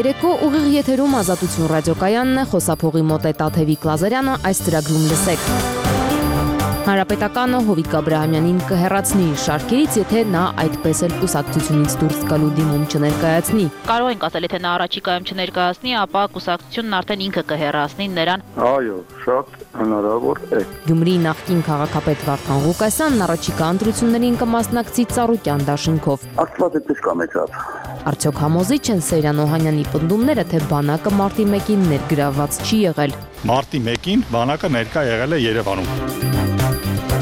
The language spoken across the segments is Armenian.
երեկո ուղիղ եթերում Ազատություն ռադիոկայանն է, խոսափողի մոտ է Տաթևիկ Լազարյանը, այս ծրագրում լսեք։ Հանրապետականը Հովիկ Աբրահամյանին կհեռացնի իր շարքերից, եթե նա այդպես էլ կուսակցությունից դուրս գալու դիմում չներկայացնի։ Կարող ենք ասել, եթե նա առաջիկայում չներկայացնի, ապա կուսակցությունն արդեն ինքը կհեռացնի նրան։ Այո, շատ հնարավոր է։ Գյումրիի նախկին քաղաքապետ Վարդան Ղուկասյանն առաջիկա ընտրություններին կմասնակցի Ծառուկյան դաշինքով։ Աստված էպես կամեցավ։ Արդյոք համոզիչ են Սեյրան Օհանյանի պնդումները, թե բանակը մարտի 1-ին ներգրավված չի եղել։ Մարտի 1-ին բանակը ներկա եղել է Երևանում։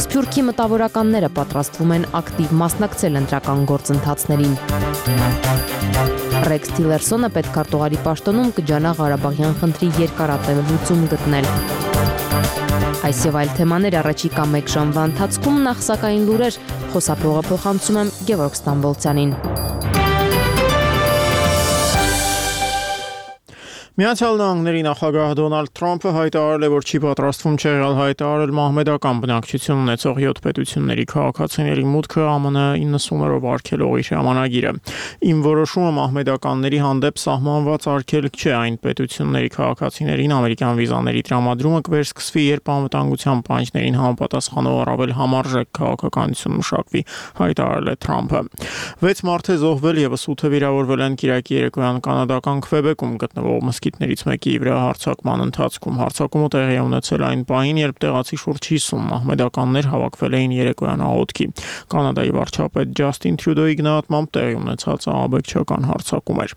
Սփյուռքի մտավորականները պատրաստվում են ակտիվ մասնակցել ընտրական գործընթացներին։ Ռեքս Թիլերսոնը պետքարտուղարի պաշտոնում կջանա Ղարաբաղյան խնդրի երկարատև լուծում գտնել։ Այս եւ այլ թեմաներ առաջիկա 1 ժամվա ընթացքում, նախ սակայն լուրեր, խոսափողը փոխանցում եմ Գևորգ Ստամբոլցյանին։ Միացյալ Նահանգների նախագահ Դոնալդ Թրամփը հայտարարել է, որ չի պատրաստվում չեղյալ հայտարարել մահմեդական բնակչություն ունեցող 7 պետությունների քաղաքացիների մուտքը ԱՄՆ 90-ով արգելողի ժամանակիրը։ Իմ որոշումը մահմեդականների հանդեպ սահմանված արգելք չէ, այն պետությունների քաղաքացիներին ամերիկյան վիզաների տրամադրումը կվերսկսվի, երբ անվտանգության պահանջներին համապատասխանող առավել համարժեք քաղաքականություն մշակվի, հայտարարել է Թրամփը։ 6 մարդ է զոհվել եւ 8-ը վիրավորվել են Կիրակի երեկոյան կանադական Քվեբեկում գտնվող մսկիթներից մեկի վրա հարձակման ընթացքում։ Հարձակումը տեղի է ունեցել այն պահին, երբ տեղացի շուրջ 50 մահմեդականներ հավաքվել էին երեկոյան աղոթքի։ Կանադայի վարչապետ Ջաստին Թրյուդոյի գնահատմամբ տեղի ունեցած ահաբեկչական հարձակում էր։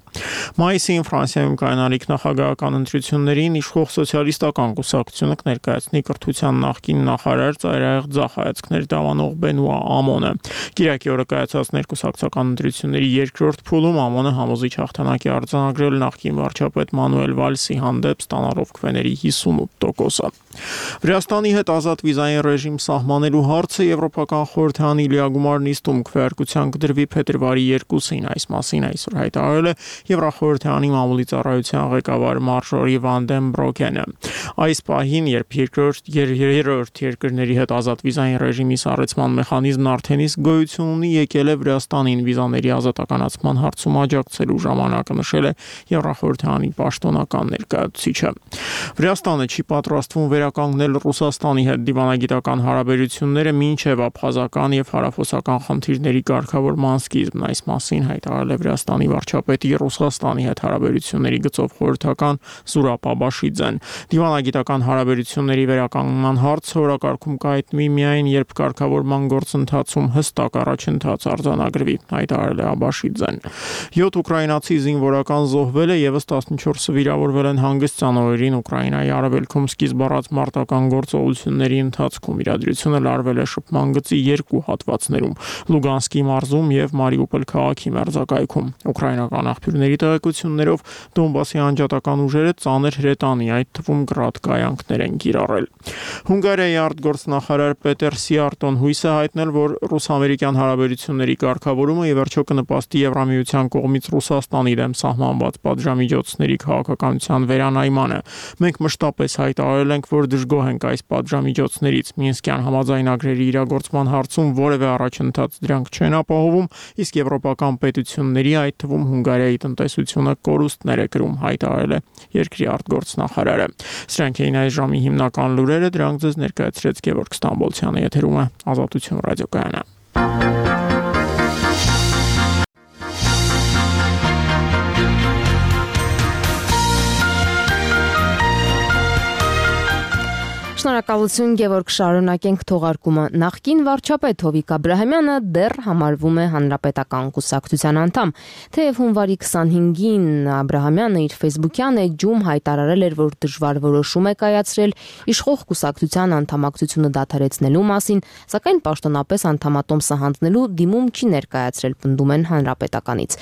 Մայիսին Ֆրանսիայում կայանալիք նախագահական ընտրություններին իշխող սոցիալիստական կուսակցությունը կներկայացնի կրթության նախկին նախարար ծայրահեղ ձախ հայացքներ դավանող Բենուա Ամոնը։ Կիրակի օրը կայացած ներկուսակցական ընտրությունների երկրորդ փուլում Ամոնը համոզիչ հաղթանակ է արձանագրել նախկին վարչապետ Մանուել Վալսի հանդեպ ստանալով քվեների 58%-ը։ Վրաստանի հետ ազատ վիզային ռեժիմ սահմանելու հարցը Եվրոպական խորհրդանի լիագումար նիստում քվեարկության կդրվի փետրվարի 2-ին, այս մասին այսօր հայտարարել է Եվրախորհրդանի մամուլի ծառայության ղեկավար Մարժորի Վան դեն Բրոքենը։ Այս պահին, երբ երրորդ երկրների հետ ազատ վիզային ռեժիմի սառեցման մեխանիզմն արդեն իսկ գոյություն ունի, եկել է Վրաստանին վիզաների ազատականացման հարցում աջակցելու ժամանակը, նշել է Եվրախորհրդանի պաշտոնական ներկայացուցիչը։ Վրաստանը չի պատրաստվում վերականգնել Ռուսաստանի հետ դիվանագիտական հարաբերությունները մինչև աբխազական եւ հարավոսական խնդիրների կարգավորման սկիզբն, այս մասին հայտարարել է Վրաստանի վարչապետի Ռուսաստանի հետ հարաբերությունների գծով խորհրդական Զուրապ Աբաշիձեն։ Դիվանագիտական հարաբերությունների վերականգնման հարցը օրակարգում կհայտնվի միայն, երբ կարգավորման գործընթացում հստակ առաջընթաց արձանագրվի, հայտարարել է Աբաշիձեն։ 7 ուկրաինացի զինվորական զոհվել է, եւս 14-ը վիրավորվել են հանգստյան օրերին Ուկրաինայի արևելքում սկիզբ առած մարտական գործողությունների ընթացքում։ Իրադրությունը լարվել է շփման գծի 2 հատվածներում՝ Լուգանսկի մարզում եւ Մարիուպոլ քաղաքի մերձակայքում։ Ուկրաինական աղբյուրների տեղեկություններով Դոնբասի անջատական ուժերը ծանր հրետանի, այդ թվում գրադ կայանքներ են կիրառել։ Հունգարիայի արտգործնախարար Պետեր Սիարտոն հույս է հայտնել, որ ռուս-ամերիկյան հարաբերությունների կարգավորումը ի վերջո կնպաստի Եվրամիության կողմից Ռուսաստանի դեմ սահմանված պատժամիջոցների քաղաքականության վերանայմանը։ Մենք մշտապես հայտարարել ենք, որ դժգոհ ենք այս պատժամիջոցներից։ Մինսկյան համաձայնագրերի իրագործման հարցում որևէ առաջընթաց դրանք չեն ապահովում, իսկ եվրոպական պետությունների, այդ թվում Հունգարիայի տնտեսությունը կորուստներ է կրում, հայտարարել է երկրի արտգործնախարարը։ Սրանք էին այս ժամի հիմնական լուրերը, դրանք ձեզ ներկայացրեց Գևորգ Ստամբոլցյանը, եթերում է Ազատություն ռադիոկայանը։ Շնորհակալություն Գևորգ, շարունակենք թողարկումը։ Նախկին վարչապետ Հովիկ Աբրահամյանը դեռ համարվում է հանրապետական կուսակցության անդամ, թեև հունվարի 25-ին Աբրահամյանը իր ֆեյսբուքյան էջում հայտարարել էր, որ դժվար որոշում է կայացրել իշխող կուսակցության անդամակցությունը դադարեցնելու մասին, սակայն պաշտոնապես անդամատոմսը հանձնելու դիմում չի ներկայացրել, պնդում են հանրապետականից։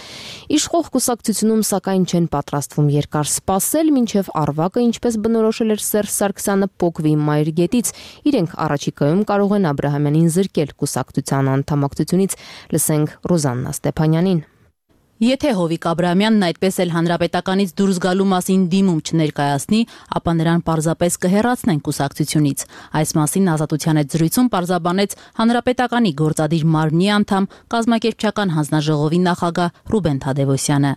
Իշխող կուսակցությունում սակայն չեն պատրաստվում երկար սպասել, մինչև Արվակը, ինչպես բնորոշել էր Սերժ Սարգսյանը, փոկվի մայրգետից, իրենք առաջիկայում կարող են Աբրահամյանին զրկել կուսակցության անդամակցությունից, լսենք Ռոզաննա Ստեփանյանին։ Եթե Հովիկ Աբրահամյանն այդպես էլ հանրապետականից դուրս գալու մասին դիմում չներկայացնի, ապա նրան պարզապես կհեռացնեն կուսակցությունից։ Այս մասին Ազատության հետ զրույցում պարզաբանեց հանրապետականի գործադիր մարմնի անդամ, կազմակերպչական հանձնաժողովի նախագահ Ռուբեն Թադևոսյանը։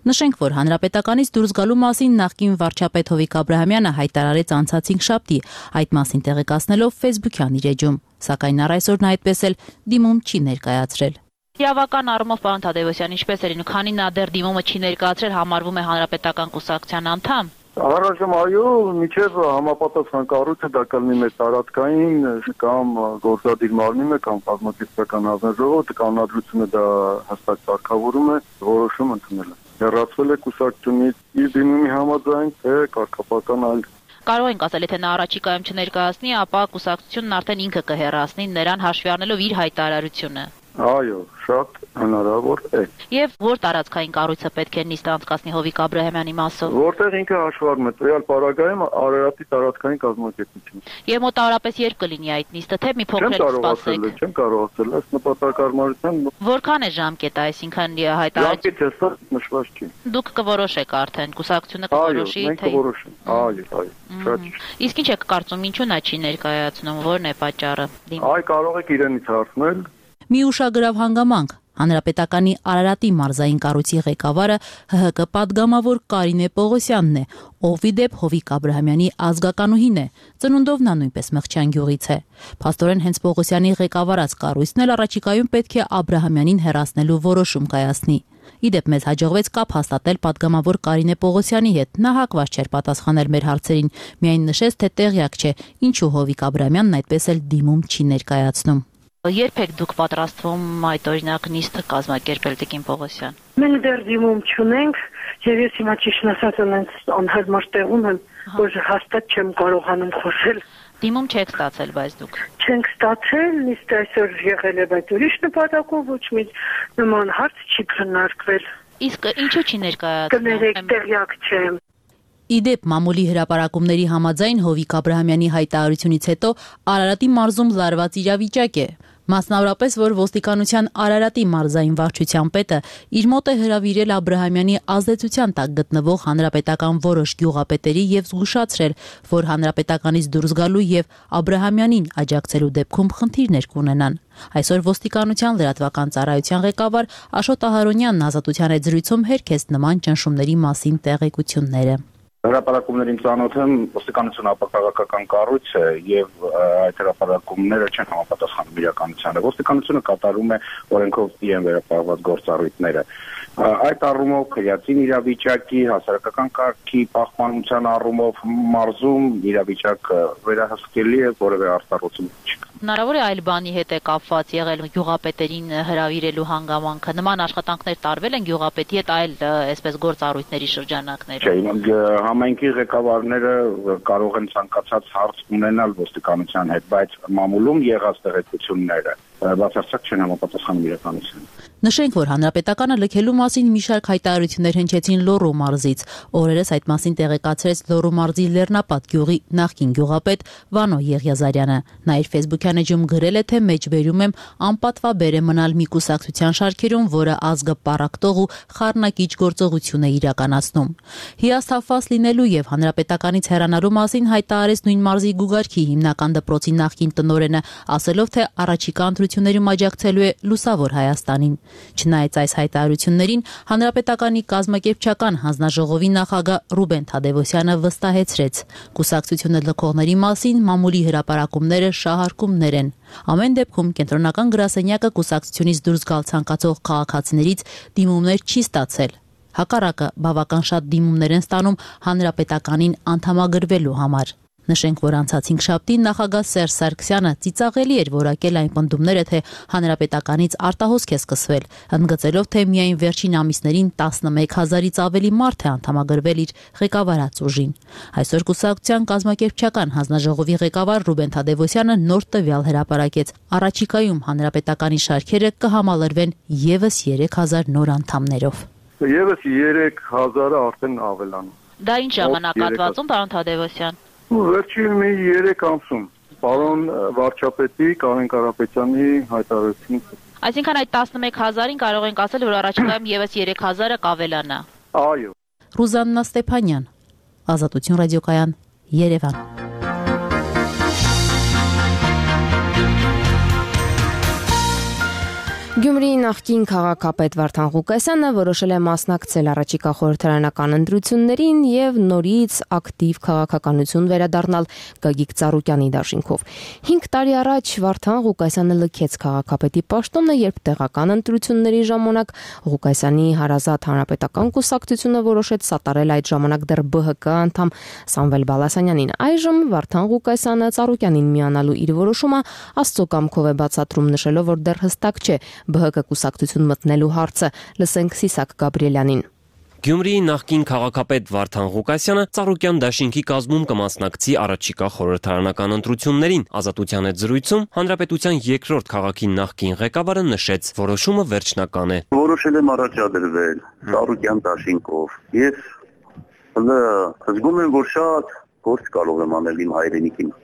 Նշենք, որ հանրապետականից դուրս գալու մասին նախկին վարչապետ Հովիկ Աբրահամյանը հայտարարեց անցած 5 շաբթի, այդ մասին տեղեկացնելով Facebook-յան իր էջում, սակայն առ այսօր նա այդպես էլ դիմում չի ներկայացրել։ Իրավական առումով պարոն Թադևոսյան, ինչպես էր, քանի նա դեռ դիմումը չի ներկայացրել, համարվում է հանրապետական կուսակցության անդամ։ Առայժմ այո, միջև համապատասխան կառույցը դա կլինի մեր տարածքային կամ գործադիր մարմինը կամ կազմակերպչական հանձնաժողովը կանոնադրությունը դա հստակ կարգավորում է, որոշում ընդունել է։ Հեռացվել է կուսակցությունից իր դիմումի համաձայն, թե կարգապահական այլ։ Կարող ենք ասել, եթե նա առաջիկայում չներկայացնի, ապա կուսակցությունն արդեն ինքը կհեռացնի նրան հաշվի առնելով իր հայտարարությունը։ Այո, շատ հնարավոր է։ Եվ որ տարածքային կառույցը պետք է նիստ անցկացնի Հովիկ Աբրահամյանի մասով։ Որտեղ ինքը հաշվառում է տվյալ պարագայում Արարատի տարածքային կազմակերպություն։ Եվ մոտավորապես երբ կլինի այդ նիստը, թե մի փոքր սպասեք։ Չեմ կարող ասել, այս նպատակարարության Որքան է ժամկետը, այսինքն հայտարարություն։ Ժամկետը հստակ նշված չի։ Դուք կորոշեք արդեն, կուսակցությունը կորոշի, թե։ Այո, շատ։ Իսկ ինչ եք կարծում, ինչու նա չի ներկայացնում, որն է պատճառը։ Այ կարող եք իրենից հարցնել։ Մի ուշագրավ հանգամանք հանրապետականի Արարատի մարզային կառույցի ղեկավարը ՀՀԿ պատգամավոր Կարինե Պողոսյանն է, ով ի դեպ Հովիկ Աբրահամյանի ազգականուհին է, ծնունդով նա նույնպես Մղջյան գյուղից է։ Փաստորեն հենց Պողոսյանի ղեկավարած կառույցն էլ առաջիկայում պետք է Աբրահամյանին հեռացնելու որոշում կայացնի։ Իդեպ մեզ հաջողվեց կապ հաստատել պատգամավոր Կարինե Պողոսյանի հետ, նա հակված չէր պատասխանել մեր հարցերին, միայն նշեց, թե տեղյակ չէ, ինչու Հովիկ Աբրահամյանն այդպես էլ դիմում չի ներկայացնում։ Երբ եք դուք պատրաստվում այդ օրինակ նիստը կազմակերպել Տիկին Պողոսյան։ Մենք դեռ դիմում չունենք, եւ ես հիմա ճիշտ ասած անհարմար տեղում եմ, որ հաստատ չեմ կարողանում խոսել։ Դիմում չեք ստացել, բայց դուք։ Չենք ստացել, նիստը այսօր եղել է, բայց ուրիշ նպատակով ոչ մի նման հարց չի քննարկվել։ Իսկ ինչու չի ներկայացնում։ Կներեք, տեղյակ չեմ։ Իդեպ մամուլի հրապարակումների համաձայն Հովիկ Աբրահամյանի հայտարարությունից հետո Արարատի մարզում լարված իրավիճակ է։ Մասնավորապես, որ ոստիկանության Արարատի մարզային վարչության պետը իր մոտ է հրավիրել Աբրահամյանի ազդեցության տակ գտնվող հանրապետական որոշ գյուղապետերի եւ զգուշացրել, որ հանրապետականից դուրս գալու եւ Աբրահամյանին աջակցելու դեպքում խնդիրներ կունենան։ Այսօր ոստիկանության լրատվական ծառայության ղեկավար Աշոտ Ահարոնյանն Ազատության հետ զրույցում հերքեց նման ճնշումների մասին տեղեկությունները։ Հրապարակումներին ծանոթ եմ, ոստիկանությունը ապակաղակական կառույց է եւ այդ հրապարակումները չեն համապատասխանում իրականությանը։ Ոստիկանությունը կատարում է օրենքով իրեն վերապահված գործառույթները։ Այդ առումով քրեատին իրավիճակի, հասարակական կարգի պահպանության առումով մարզում իրավիճակը վերահսկելի է, որևէ արտահայտություն չկա։ Հնարավոր է այլ բանի հետ է կապված եղել գյուղապետերին հրավիրելու հանգամանքը։ Նման աշխատանքներ տարվել են գյուղապետի հետ այլ այսպես գործառույթների շրջանակներում։ Չէ, համայնքի ղեկավարները կարող են ցանկացած հարց ունենալ ոստիկանության հետ, բայց մամուլում եղած տեղեկությունները բացարձակ չեն համապատասխանում իրականությանը։ Նշենք, որ հանրապետականը լքելու մասին մի շարք հայտարարություններ հնչեցին Լոռու մարզից։ Օրերս այդ մասին տեղեկացրեց Լոռու մարզի Լեռնապատ գյուղի նախկին գյուղապետ Վանո Եղիազարյանը։ Նա իր Facebook-յան էջում գրել է, թե մեջբերում եմ անպատվաբեր է մնալ մի կուսակցության շարքերում, որը ազգը պառակտող ու խառնակիչ գործողություն է իրականացնում։ Հիասթափված լինելու եւ հանրապետականից հեռանալու մասին հայտարարեց նույն մարզի Գուգարքի հիմնական դպրոցի նախկին տնօրենը, ասելով, թե առաջիկա ընտրություններում աջակցելու է Լուսավոր Հայաստանին։ Չնայած այս հայտարարություններին, հանրապետականի կազմակերպչական հանձնաժողովի նախագահ Ռուբեն Թադևոսյանը վստահեցրեց. կուսակցությունը լքողների մասին մամուլի հրապարակումները շահարկումներ են։ Ամեն դեպքում կենտրոնական գրասենյակը կուսակցությունից դուրս գալ ցանկացող քաղաքացիներից դիմումներ չի ստացել։ Հակառակը բավական շատ դիմումներ են ստանում հանրապետականին անդամագրվելու համար։ Նշենք, որ անցած 5 շաբթի նախագահ Սերժ Սարգսյանը ծիծաղելի էր որակել այն պնդումները, թե հանրապետականից արտահոսք է սկսվել, ընդգծելով, թե միայն վերջին ամիսներին 11,000-ից ավելի մարդ է անդամագրվել իր ղեկավարած ուժին։ Այսօր կուսակցության կազմակերպչական հանձնաժողովի ղեկավար Ռուբեն Թադևոսյանը նոր տվյալ հրապարակեց։ Առաջիկայում հանրապետականի շարքերը կհամալրվեն եւս 3,000 նոր անդամներով։ Եվս 3,000-ը արդեն ավելանում։ Դա ինչ ժամանակահատվածում, պարոն Թադևոսյան։ Վերջին մի 3 ամսում, պարոն վարչապետի Կարեն Կարապետյանի հայտարարությունից։ Այսինքն այդ 11,000-ին կարող ենք ասել, որ առաջիկայում եւս 3,000-ը կավելանա։ Այո։ Ռուզաննա Ստեփանյան, Ազատություն ռադիոկայան, Երևան։ Գյումրիի նախկին քաղաքապետ Վարդան Ղուկասյանը որոշել է մասնակցել առաջիկա խորհրդարանական ընտրություններին եւ նորից ակտիվ քաղաքականություն վերադառնալ Գագիկ Ծառուկյանի դաշինքով։ 5 տարի առաջ Վարդան Ղուկասյանը լքեց քաղաքապետի պաշտոնը, երբ տեղական ընտրությունների ժամանակ Ղուկասյանի հարազատ հանրապետական կուսակցությունը որոշեց սատարել այդ ժամանակ դեռ ԲՀԿ անդամ Սամվել Բալասանյանին։ Այժմ Վարդան Ղուկասյանը Ծառուկյանին միանալու իր որոշումը Աստծո կամքով է բացատրում, նշելով, որ դեռ հստակ չէ ԲՀԿ կուսակցություն մտնելու հարցը։ Լսենք Սիսակ Գաբրիելյանին։ Գյումրիի նախկին քաղաքապետ Վարդան Ղուկասյանը Ծառուկյան դաշինքի կազմում կմասնակցի առաջիկա խորհրդարանական ընտրություններին։ Ազատության հետ զրույցում հանրապետության երկրորդ քաղաքի նախկին ղեկավարը նշեց, որոշումը վերջնական է։ Որոշել եմ առաջադրվել Ծառուկյան դաշինքով։ Ես զգում եմ, որ շատ գործ կարող եմ անել իմ հայրենիքին,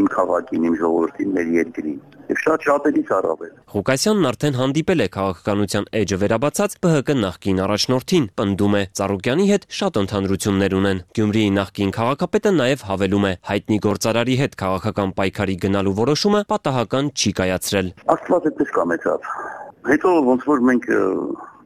իմ քաղաքին, իմ ժողովրդին, մեր երկրին։ Եվ շատերից առավել։ Ղուկասյանն արդեն հանդիպել է քաղաքականության էջը վերաբացած ԲՀԿ նախկին առաջնորդին, պնդում է Ծառուկյանի հետ շատ ընդհանրություններ ունեն։ Գյումրիի նախկին քաղաքապետը նաև հավելում է, հայտնի գործարարի հետ քաղաքական պայքարի գնալու որոշումը պատահական չի կայացրել։ Աստված այդպես կամեցավ։ Հետո ոնց որ մենք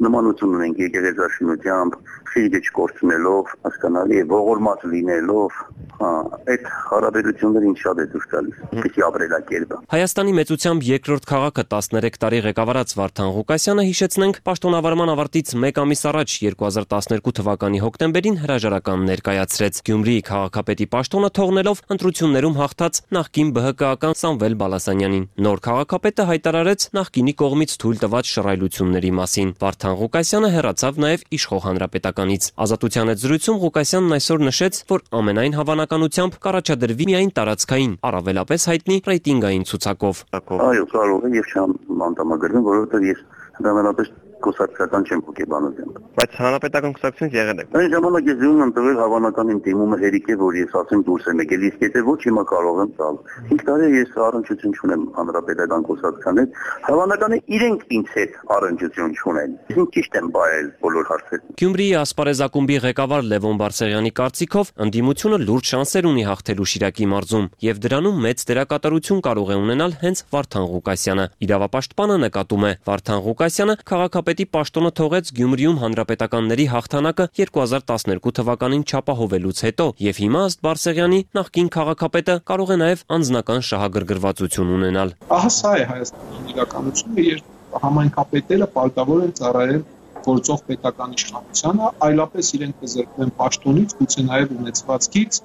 նմանություն ունենք եկեղեցաշինությամբ, խիղճ չկորցնելով, հասկանալի է, ողորմած լինելով, այդ հարաբերություններին շատ է դուրս գալիս։ Պիտի ապրելակերպը։ Հայաստանի մեծությամբ երկրորդ քաղաքը 13 տարի ղեկավարած Վարդան Ղուկասյանը, հիշեցնենք, պաշտոնավարման ավարտից 1 ամիս առաջ 2012 թվականի հոկտեմբերին հրաժարական ներկայացրեց։ Գյումրիի քաղաքապետի պաշտոնը թողնելով ընտրություններում հաղթած նախկին ԲՀԿ-ական Սամվել Բալասանյանին։ Նոր քաղաքապետը հայտարարեց նախկինի կողմից թույլ տված շռայլությունների մասին։ Վարդան Ղուկասյանը հեռացավ նաև իշխող հանրապետականից։ Ազատության հետ զրույցում Ղուկասյանն այսօր նշեց, որ ամենայն հավանականությամբ կառաջադրվի միայն տարածքային, առավելապես հայտնի ռեյտինգային ցուցակով։ Այո, կարող է եւ չեմ անդամագրվում, որովհետեւ ես ընդհանրապես կուսակցական չեմ հոգեբանություն։ Բայց հանրապետական կուսակցությունից եղել եք։ Այն ժամանակ ես ում եմ տվել հավանական իմ դիմումը հերիք է, որ ես ասեմ դուրս եմ եկել, իսկ եթե ոչ հիմա կարող եմ տալ։ 5 տարի ես առնչություն չունեմ հանրապետական կուսակցության հետ, հավանական է իրենք ինձ հետ առնչություն չունեն։ Ես ճիշտ եմ բայել բոլոր հարցերին։ Գյումրիի ասպարեզ ակումբի ղեկավար Լևոն Բարսեղյանի կարծիքով ընդդիմությունը լուրջ շանսեր ունի հաղթելու Շիրակի մարզում եւ դրանում մեծ դերակատարություն կարող է ունենալ հենց Վարդան Ղուկասյանը։ Իրավապաշտպանը նկատում է, Վարդան Ղուկասյանը քաղաքապետի պաշտոնը թողեց Գյումրիում հանրապետականների հաղթանակը 2012 թվականին չապահովելուց հետո եւ հիմա ըստ Բարսեղյանի նախկին քաղաքապետը կարող է նաեւ անձնական շահագրգռվածություն ունենալ։ Ահա սա է Հայաստանի իրականությունը, երբ համայնքապետերը պարտավոր են ծառայել գործող պետական իշխանությանը, այլապես իրենք կզրկվեն պաշտոնից, գուցե նաեւ ունեցվածքից,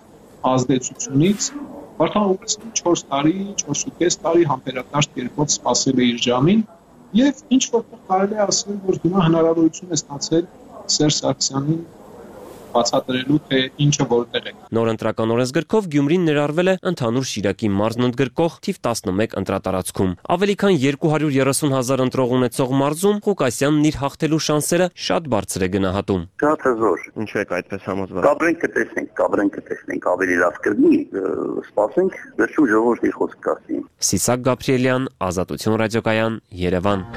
ազդեցությունից։ Վարդան Ղուկասյանը 4 տարի, 4.5 տարի համբերատար կերպով սպասել է իր ժամին եւ ինչ որտեղ կարելի է ասել, որ հիմա հնարավորություն է ստացել Սերժ Սարգսյանին բացատրելու, թե ինչը որտեղ է։ Նոր ընտրական օրենսգրքով Գյումրին ներառվել է ընդհանուր Շիրակի մարզն ընդգրկող թիվ 11 ընտրատարածքում։ Ավելի քան 230,000 ընտրող ունեցող մարզում Ղուկասյանն իր հաղթելու շանսերը շատ բարձր է գնահատում։ Շատ հզոր։ Ինչու եք այդպես համոզված։ Կապրենք կտեսնենք, ավելի լավ կլինի, սպասենք, վերջում ժողովրդի խոսք կասի։ Սիսակ Գաբրիելյան, Ազատություն ռադիոկայան, Երևան։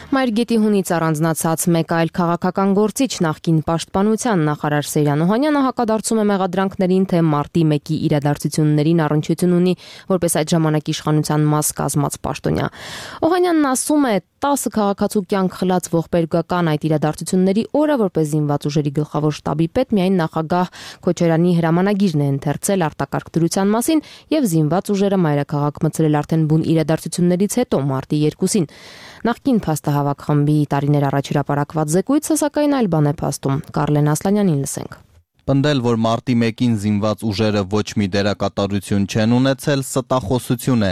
Մայրգետի հունից առանձնացած մեկ այլ քաղաքական գործիչ նախկին պաշտպանության նախարար Սեյրան Օհանյանը հակադարձում է մեղադրանքներին, թե մարտի 1-ի իրադարձություններին առնչություն ունի որպես այդ ժամանակ իշխանության մաս կազմած պաշտոնյա։ Օհանյանն ասում է, 10 քաղաքացու կյանք խլած ողբերգական այդ իրադարձությունների օրը որպես զինված ուժերի գլխավոր շտաբի պետ միայն նախագահ Քոչարյանի հրամանագիրն է ընթերցել արտակարգ դրության մասին եւ զինված ուժերը մայրաքաղաք մտցրել արդեն բուն իրադարձություններից հետո մարտի 2-ին։ Նախկին փաստահավաք խմբի տարիներ առաջ հրապարակված զեկույցը սակայն այլ բան է փաստում։ Կարլեն Ասլանյանին լսենք։ Պնդել, որ մարտի 1-ին զինված ուժերը ոչ մի դերակատարություն չեն ունեցել, ստախոսություն է։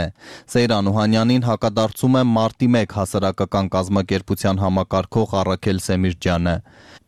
Սեյրան Օհանյանին հակադարձում է մարտի 1 հասարակական կազմակերպության համակարգող Առաքել Սեմիրջյանը։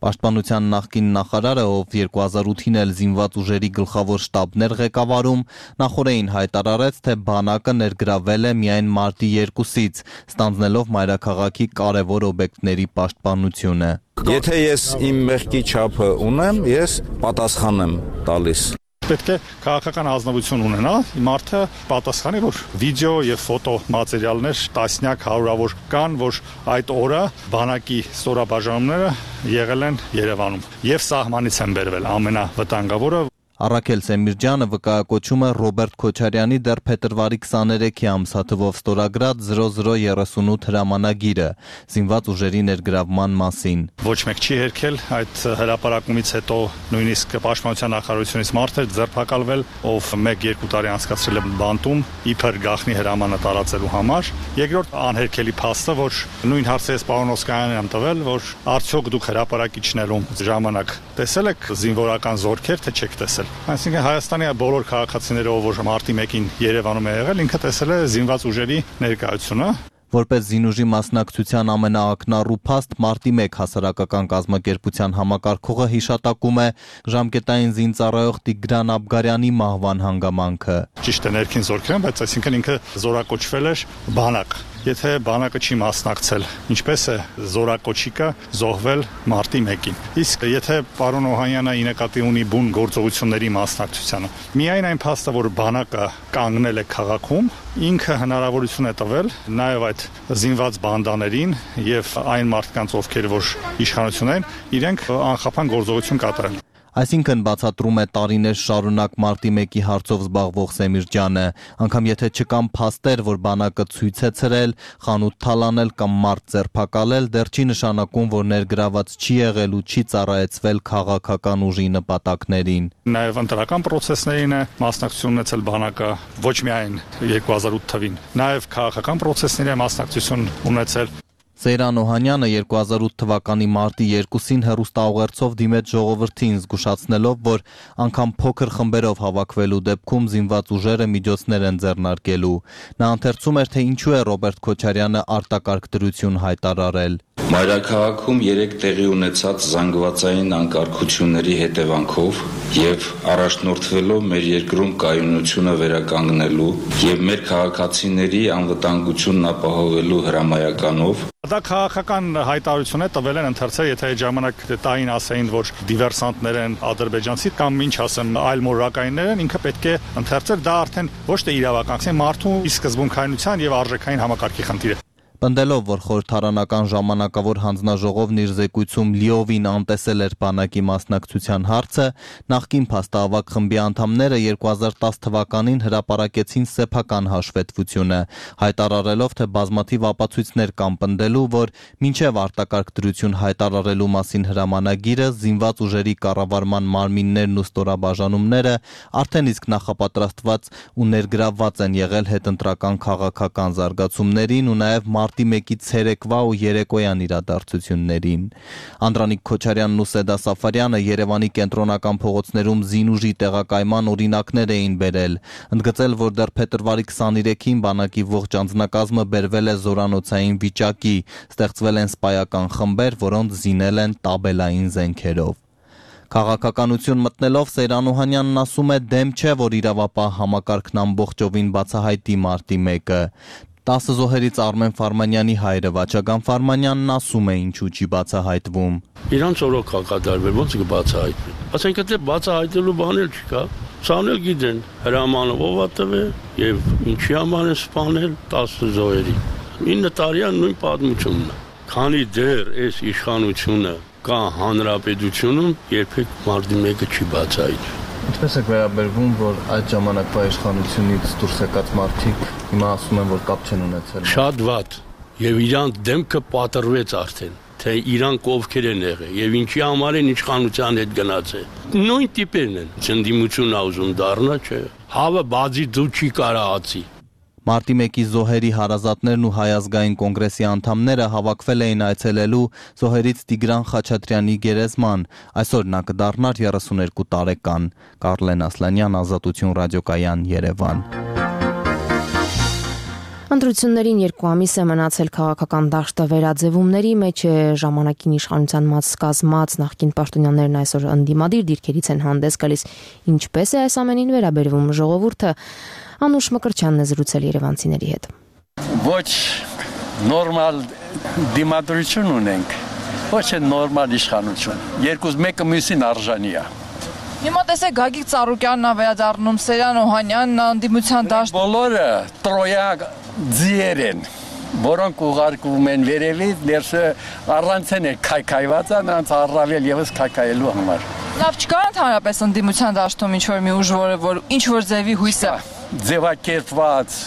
Պաշտպանության նախկին նախարարը, ով 2008-ին էլ զինված ուժերի գլխավոր շտաբներ ղեկավարում, նախորդին հայտարարեց, թե բանակը ներգրավել է միայն մարտի 2-ից, ստանձնելով մայրաքաղաքի կարևոր օբյեկտների պաշտպանությունը։ Եթե ես իմ մեղքի չափը ունեմ, ես պատասխան եմ տալիս։ պետք է քաղաքական ազնվություն ունենա, մարդը պատասխանի, որ վիդեո եւ ֆոտո մատերիալներ տասնյակ հարյուրավոր կան, որ այդ օրը բանակի ստորաբաժանումները եղել են Երևանում եւ սահմանից են բերվել ամենավտանգավորը։ Առաքել Սեմիրջյանը վկայակոչում է Ռոբերտ Քոչարյանի դեռ փետրվարի 23-ի ամսաթվով ստորագրած 0038 հրամանագիրը զինված ուժերի ներգրավման մասին։ Ոչ մեկ չի հերքել այդ հրապարակումից հետո նույնիսկ Պաշտպանության նախարարությունից մարդ էր ձերբակալվել, ով 1-2 տարի անցկացրել է բանտում իբր գախնի հրամանը տարածելու համար։ Երկրորդ անհերքելի փաստը, որ նույն հարցը ես պարոն Օսկանյանին եմ տվել, որ արդյոք դուք հրապարակիչներում ժամանակ տեսել եք զինվորական զորքեր, թե չեք տեսել։ Այսինքն Հայաստանի բոլոր քաղաքացիները, ով մարտի 1-ին Երևանում է եղել, ինքը տեսել է զինված ուժերի ներկայությունը։ Որպես զինուժի մասնակցության ամենաակնառու փաստ մարտի 1 հասարակական կազմակերպության համակարգողը հիշատակում է ժամկետային զինծառայող Տիգրան Աբգարյանի մահվան հանգամանքը։ Ճիշտ է, ներքին զորքեր են, բայց այսինքն ինքը զորակոչվել էր բանակ։ Եթե բանակը չի մասնակցել, ինչպես է զորակոչիկը զոհվել մարտի 1-ին։ Իսկ եթե պարոն Օհանյանը ի նկատի ունի բուն գործողությունների մասնակցությանը, միայն այն փաստը, որ բանակը կանգնել է քաղաքում, ինքը հնարավորություն է տվել նաև այդ զինված բանդաներին եւ այն մարդկանց, ովքեր որ իշխանություն են, իրենք անխափան գործողություն կատարել։ Այսինքն բացատրում է տարիներ շարունակ մարտի 1-ի հարցով զբաղվող Սեմիրջյանը, անգամ եթե չկան փաստեր, որ բանակը ցույց է ցրել, խանութ թալանել կամ մարդ ձերբակալել, դեռ չի նշանակում, որ ներգրաված չի եղել ու չի ծառայեցվել քաղաքական ուժի նպատակներին։ Նաև ընտրական process-ներին է մասնակցություն ունեցել բանակը, ոչ միայն 2008 թվին, նաև քաղաքական process-ների է մասնակցություն ունեցել։ Սեյրան Օհանյանը 2008 թվականի մարտի 2-ին հեռուստաուղերձով դիմեց ժողովրդին, զգուշացնելով, որ անգամ փոքր խմբերով հավաքվելու դեպքում զինված ուժերը միջոցներ են ձեռնարկելու։ Նա ընթերցում էր, թե ինչու է Ռոբերտ Քոչարյանը արտակարգ դրություն հայտարարել։ Մայրաքաղաքում 3 տեղի ունեցած զանգվածային անկարգությունների հետևանքով եւ առաջնորդվելով մեր երկրում կայունությունը վերականգնելու եւ մեր քաղաքացիների անվտանգությունն ապահովելու հրամայականով Դա քաղաքական հայտարարություն է տվել են ընթերցել, եթե այդ ժամանակ տային ասեին, որ դիվերսանտներ են ադրբեջանցի կամ ինչ ասեմ, այլ մորակայիններ են, ինքը պետք է ընթերցել, դա արդեն ոչ թե իրավական, մարդու սկզբունքայնության եւ արժեքային համակարգի խնդիր է։ Պնդելով, որ խորհրդարանական ժամանակավոր հանձնաժողովն իր զեկույցում լիովին անտեսել էր բանակի մասնակցության հարցը, նախկին փաստահավաք խմբի անդամները 2010 թվականին հրապարակեցին սեփական հաշվետվությունը, հայտարարելով, թե բազմաթիվ ապացույցներ կան պնդելու, որ մինչև արտակարգ դրություն հայտարարելու մասին հրամանագիրը զինված ուժերի կառավարման մարմիններն ու ստորաբաժանումները արդեն իսկ նախապատրաստված ու ներգրավված են եղել հետընտրական քաղաքական զարգացումներին ու նաև մարտի 1-ի ցերեկվա ու երեկոյան իրադարձություններին։ Անդրանիկ Քոչարյանն ու Սեդա Սաֆարյանը Երևանի կենտրոնական փողոցներում զինուժի տեղակայման օրինակներ էին բերել, ընդգծել, որ դեռ փետրվարի 23-ին բանակի ողջ անձնակազմը բերվել է զորանոցային վիճակի, ստեղծվել են սպայական խմբեր, որոնց զինել են տաբելային զենքերով։ Քաղաքականություն մտնելով Սեյրան Օհանյանն ասում է, դեմ չէ, որ իրավապահ համակարգն ամբողջովին բացահայտի մարտի 1-ը։ 10 զոհերից Արմեն Ֆարմանյանի հայրը Վաչագան Ֆարմանյանն ասում է, ինչու չի բացահայտվում։ Իրանց օրոք կատարվել, ոնց կբացահայտվի։ Ասենք թե բացահայտելու բան էլ չկա։ Սանել գիտեն, հրամանով ով է տվել եւ ինչի համար են սպանել 10 զոհերի։ 9 տարյա նույն պատմությունն է։ Քանի դեռ այս իշխանությունը կա հանրապետությունում, երբեք մարտի 1-ը չի բացահայտվում։ Ինչպես է վերաբերվում, որ այդ ժամանակվա իշխանությունից դուրս եկած մարդիկ հիմա ասում են, որ կապ չեն ունեցել։ Շատ վատ։ Եվ իրանք դեմքը պատրվեց արդեն, թե իրանք ովքեր են եղել եւ ինչի համար են իշխանության հետ գնացել։ Նույն տիպերն են։ Ցնդիմություն ուզում դառնա, չէ։ Հավը բազի դու չի կարահացի։ Մարտի 1-ի զոհերի հարազատներն ու Հայ ազգային կոնգրեսի անդամները հավաքվել էին այցելելու զոհերից Տիգրան Խաչատրյանի գերեզման, այսօր նա կդառնար 32 տարեկան։ Կարլեն Ասլանյան, Ազատություն ռադիոկայան, Երևան։ Ընտրություններին 2 ամիս է մնացել, քաղաքական դաշտը վերաձևումների մեջ է, ժամանակին իշխանության կազմած նախկին պաշտոնյաներն այսօր ընդդիմադիր դիրքերից են հանդես գալիս։ Ինչպես է այս ամենին վերաբերվում ժողովուրդը, Անուշ Մկրտչյանն է զրուցել երևանցիների հետ։ Ոչ նորմալ դիմադրություն ունենք, ոչ է նորմալ իշխանություն։ Երկուս մեկը մյուսին արժանի է։ Հիմա տեսեք Գագիկ Ծառուկյանն է վերադառնում, Սերյան Օհանյանն անդիմության դաշտ։ Բոլորը տրոյա ձիեր են, որոնք ուղարկվում են վերևից, ներսը առանց են քայքայված, նրանց առավել եւս քայքայելու համար։ Լավ չկա ընդհանրապես անդիմության դաշտում ինչ-որ մի ուժ, որ ինչ-որ ձևի հույս է։ Ձևակերպված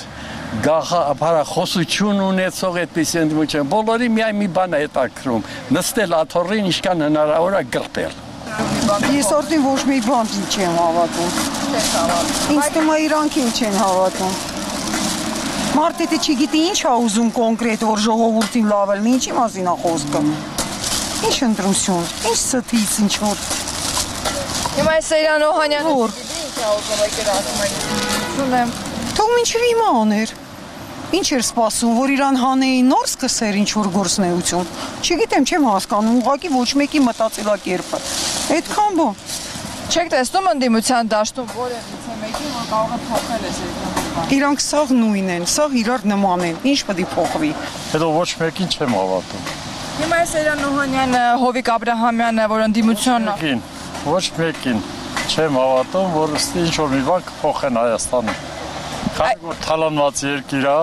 գաղափարախոսություն ունեցող այդպես ընդմիջան բոլորի միայն մի բան է հետաքրում նստել աթոռին ինչքան հնարավոր է գրպել ես արդեն ոչ մի բան չեմ հավատում ինձ թվում է իրանքին չեն հավատում մարդը դե չգիտի ինչ է ուզում կոնկրետ որ ժողովրդին լավ լինի ինչի մասին է խոսքը ինչ ընտրություն ինչ ստից ինչ որ հիմա Սերյան Օհանյանը ինչ է ուզում եկել ասում եք թող ինչի հիմա աներ Ինչ էր սպասում, որ իրան հանեին նոր սկսեր ինչ-որ գործնեություն։ Չգիտեմ, չեմ հասկանում, ուղղակի ոչ մեկի մտածելակերպը։ Այդքան բան։ Չեք տեսնում ընդդիմության դաշտում որևիցե մեկին, որ կարող է փոխել այս երկրորդ։ Իրանք սաղ նույն են, սաղ իրար նման են։ Ինչ պետք է փոխվի։ Հետո ոչ մեկին չեմ հավատում։ Հիմա Սերյան Օհանյանը, Հովիկ Աբրահամյանը, որ ընդդիմությունն է։ Ոչ մեկին չեմ հավատում, որ ինչ-որ մի բան կփոխեն Հայաստանում։ Քանի որ թալանված երկիր է,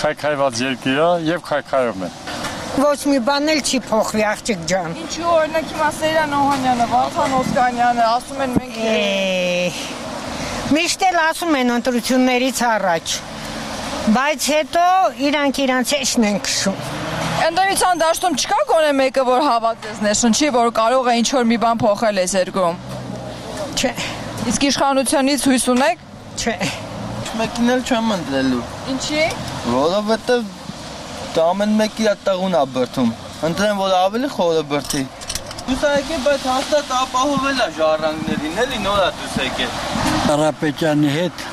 քայքայված երկիր է եւ քայքայում են։ Ոչ մի բան էլ չի փոխվի աղջիկ ջան։ Ինչու օրինակ հիմա Սերյան Օհանյանը, Վարդան Օսկանյանը ասում են մենք Միշտ էլ ասում են ընտրություններից առաջ։ Բայց հետո իրանք էշն են քշում։ Ընդդիմության դաշտում չկա գոնե մեկը, որ հավատես ներշնչի, որ կարող է ինչ-որ մի բան փոխել այս երկրում։ Չէ։ Իսկ իշխանությունից հույս ունեք։ Չէ։ Մեկին էլ չեմ ընտրելու։ Ինչի՞։ Որովհետև դա ամեն մեկի տեղուն է բրդում։ Ընտրեմ, որ ավելի խորը բրդի։ Դուս եկել, բայց հաստատ ապահովել է ժառանգներին, էլի նոր է դուս եկել։ Կարապետյանի հետ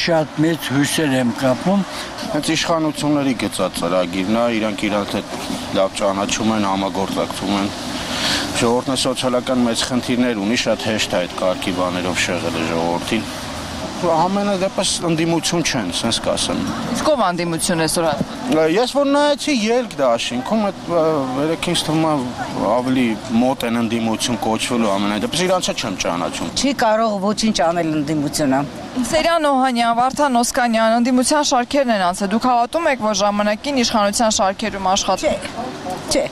շատ մեծ հույսեր եմ կապում։ Հենց իշխանությունների գծած ծրագիրն է, իրանք իրար հետ լավ ճանաչում են, համագործակցում են։ Ժողովուրդն սոցիալական մեծ խնդիրներ ունի, շատ հեշտ է այդ կարգի բաներով շեղել ժողովրդին։ Ամենը դեպս ընդդիմություն չեն, սենց կասեմ։ Իսկ ով ընդդիմություն է սորած։ Ես որ նայեցի ելք դաշինքում, այդ երեքինց թվում է ավելի մոտ են ընդդիմություն կոչվելու ամենայդեպս իրանցը չեմ ճանաչում։ Չի կարող ոչինչ անել ընդդիմությունը։ Սերյան Օհանյան, Վարդան Օսկանյան, ընդդիմության շարքերն են անցել։ Դուք հավատում եք, որ ժամանակին իշխանության շարքերում աշխատում։ Չէ։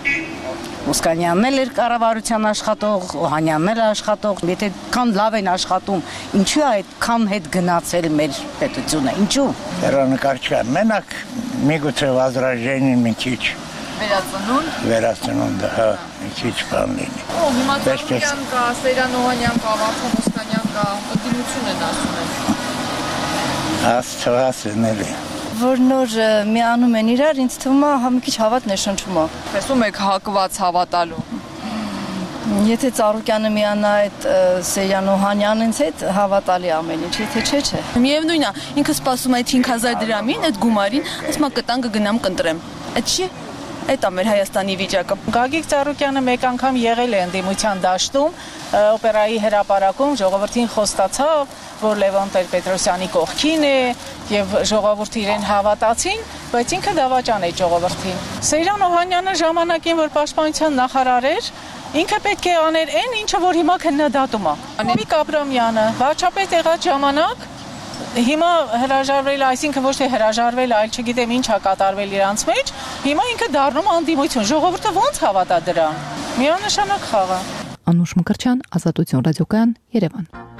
Օսկանյանն էլ էր կառավարության աշխատող, Օհանյանն էլ աշխատող, եթե քան լավ են աշխատում, ինչու է այդքան հետ գնացել մեր պետությունը, ինչու։ Հեռանկարչական մենակ միգուցե возражение մի քիչ վերածնունդ, հա, մի քիչ բան լինի։ Հիմա Ծառուկյան կա, Սերյան Օհանյան կա, Վարդան Օսկանյան կա, ընդդիմություն են ասում են։ Աստվածն էլի։ Որ նոր միանում են իրար, ինձ թվում է մի քիչ հավատն է շնչում։ Տեսնում եք հակված հավատալու։ Եթե Ծառուկյանը միանա այդ Սերյան Օհանյանից հետ, հավատալի ամեն ինչ, եթե չէ։ Միևնույնն է, ինքը սպասում է 5000 դրամին, այդ գումարին, ասում է կտան կգնամ կընտրեմ։ Այդ չի։ Այդ է մեր Հայաստանի վիճակը։ Գագիկ Ծառուկյանը մեկ անգամ եղել է ընդդիմության դաշտում, օպերայի հրապարակում ժողովրդին խոստացավ, որ Լևոն Տեր-Պետրոսյանի կողքին է եւ ժողովուրդը իրեն հավատացին, բայց ինքը դավաճան է ժողովրդին։ Սերյան Օհանյանը ժամանակին որ պաշտպանության նախարար էր, ինքը պետք է աներ այն, ինչը որ հիմա քննադատում է։ Հովիկ Աբրամյանը վարչապետ եղած ժամանակ հիմա հրաժարվել, այսինքն ոչ թե հրաժարվել, այլ չգիտեմ ինչ է կատարվել իրանց մեջ, հիմա ինքը դառնում անդիմություն։ Ժողովուրդը ո՞նց հավատա դրան։ Միանշանակ խաղ է։ Անուշ Մկրտչյան, Ազատություն ռադիոկայան, Երևան։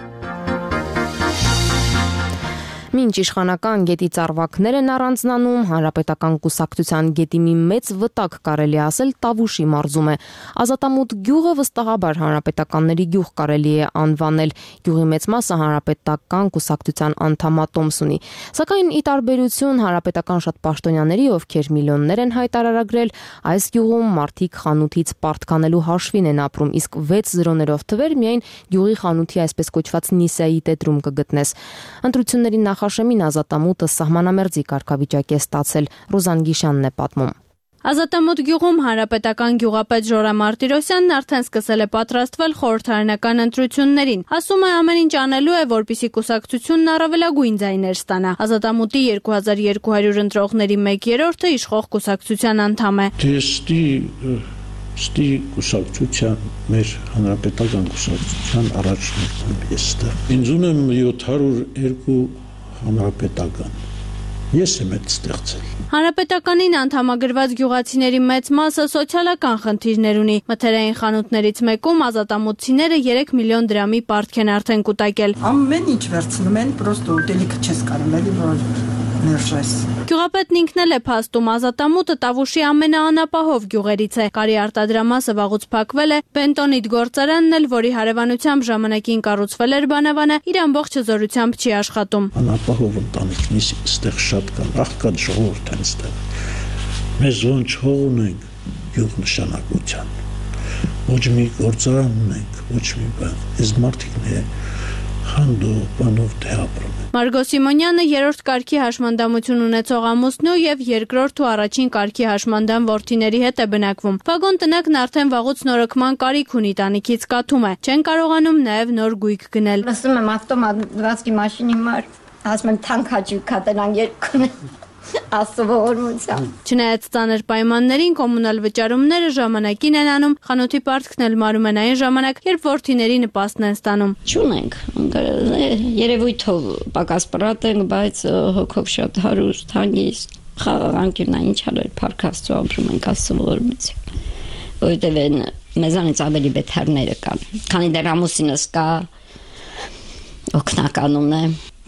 Մինչ իշխանական գետի ծառվակներ են առանձնանում, հանրապետական կուսակցության գետի մի մեծ վտակ կարելի ասել Տավուշի մարզում է։ Ազատամուտ գյուղը վստահաբար հանրապետականների գյուղ կարելի է անվանել։ Գյուղի մեծ մասը հանրապետական կուսակցության անդամատոմս ունի։ Սակայն ի տարբերություն հանրապետական շատ պաշտոնյաների, ովքեր միլիոններ են հայտարարագրել, այս գյուղում մարդիկ խանութից պարտկանելու հաշվին են ապրում, իսկ 6 զրոներով թվեր միայն գյուղի խանութի այսպես կոչված Նիսայի տետրում կգտնես։ Ընտրությունների Նախաշեմին Ազատամուտը սահմանամերձի կարգավիճակ է ստացել, Ռուզան Գիշյանն է պատմում։ Ազատամուտ գյուղում հանրապետական գյուղապետ Ժորա Մարտիրոսյանն արդեն սկսել է պատրաստվել խորհրդարանական ընտրություններին։ Ասում է ամեն ինչ անելու է, որպեսզի կուսակցությունն առավելագույն ձայներ ստանա։ Ազատամուտի 2200 ընտրողների 1/3-ը իշխող կուսակցության անդամ է։ Դեստի Ստի կուսակցության, մեր հանրապետական կուսակցության առաջնորդն եմ ես ստեղ։ Ինձ ունեմ 702 հանրապետական։ Ես եմ այդ ստեղծել։ Հանրապետականին անդամագրված գյուղացիների մեծ մասը սոցիալական խնդիրներ ունի։ Մթերային խանութներից մեկում ազատամուտցիները 3 միլիոն դրամի պարտք են արդեն կուտակել։ Ամեն ինչ վերցնում են, պրոստո ուտելիքը չես կարող էլի որ ներժես։ Գյուղապետն ինքն էլ է փաստում, ազատամուտը Տավուշի ամենաանապահով գյուղերից է։ Կարի արտադրամասը վաղուց փակվել է, բենտոնիտ գործարանն էլ, որի հարևանությամբ ժամանակին կառուցվել էր բանավանը, իր ամբողջ հզորությամբ չի աշխատում։ Անապահով ընտանիքնից ստեղ շատ կան, աղքատ ժողովուրդ են ստեղ։ Մեզ ոնց հող ունենք գյուղ նշանակության։ Ոչ մի գործարան ունենք, ոչ մի բան։ Այս մարդիկն է հանդու բանով դե ապրում։ Մարգո Սիմոնյանը 3-րդ կարգի հաշմանդամություն ունեցող ամուսնու եւ 2-րդ ու առաջին կարգի հաշմանդամ որդիների հետ է բնակվում։ Վագոն տնակն արդեն վաղուց նորոգման կարիք ունի, տանիքից կաթում է։ Չեն կարողանում նաեւ նոր գույք գնել։ Լսում եմ ավտոմատվացքի մաշինի մար, ասում եմ թանկ հաճույք կտենան երկուն։ Ասովորմությամբ։ Չնայած ծանր պայմաններին կոմունալ վճարումները ժամանակին են անում, խանութի պարտքն էլ մարում են այն ժամանակ, երբ որդիների նպաստն են ստանում։ Չունենք, երևույթով պակաս պրատ ենք, բայց հոգով շատ հարուստ, հանգիստ, խաղաղանկյունա ինչ արել, փառք Աստծո ապրում ենք ասովորմությամբ։ Որովհետև մեզանից ավելի բեթերները կան, քանի դեռ ամուսինս կա, օգնականուն է,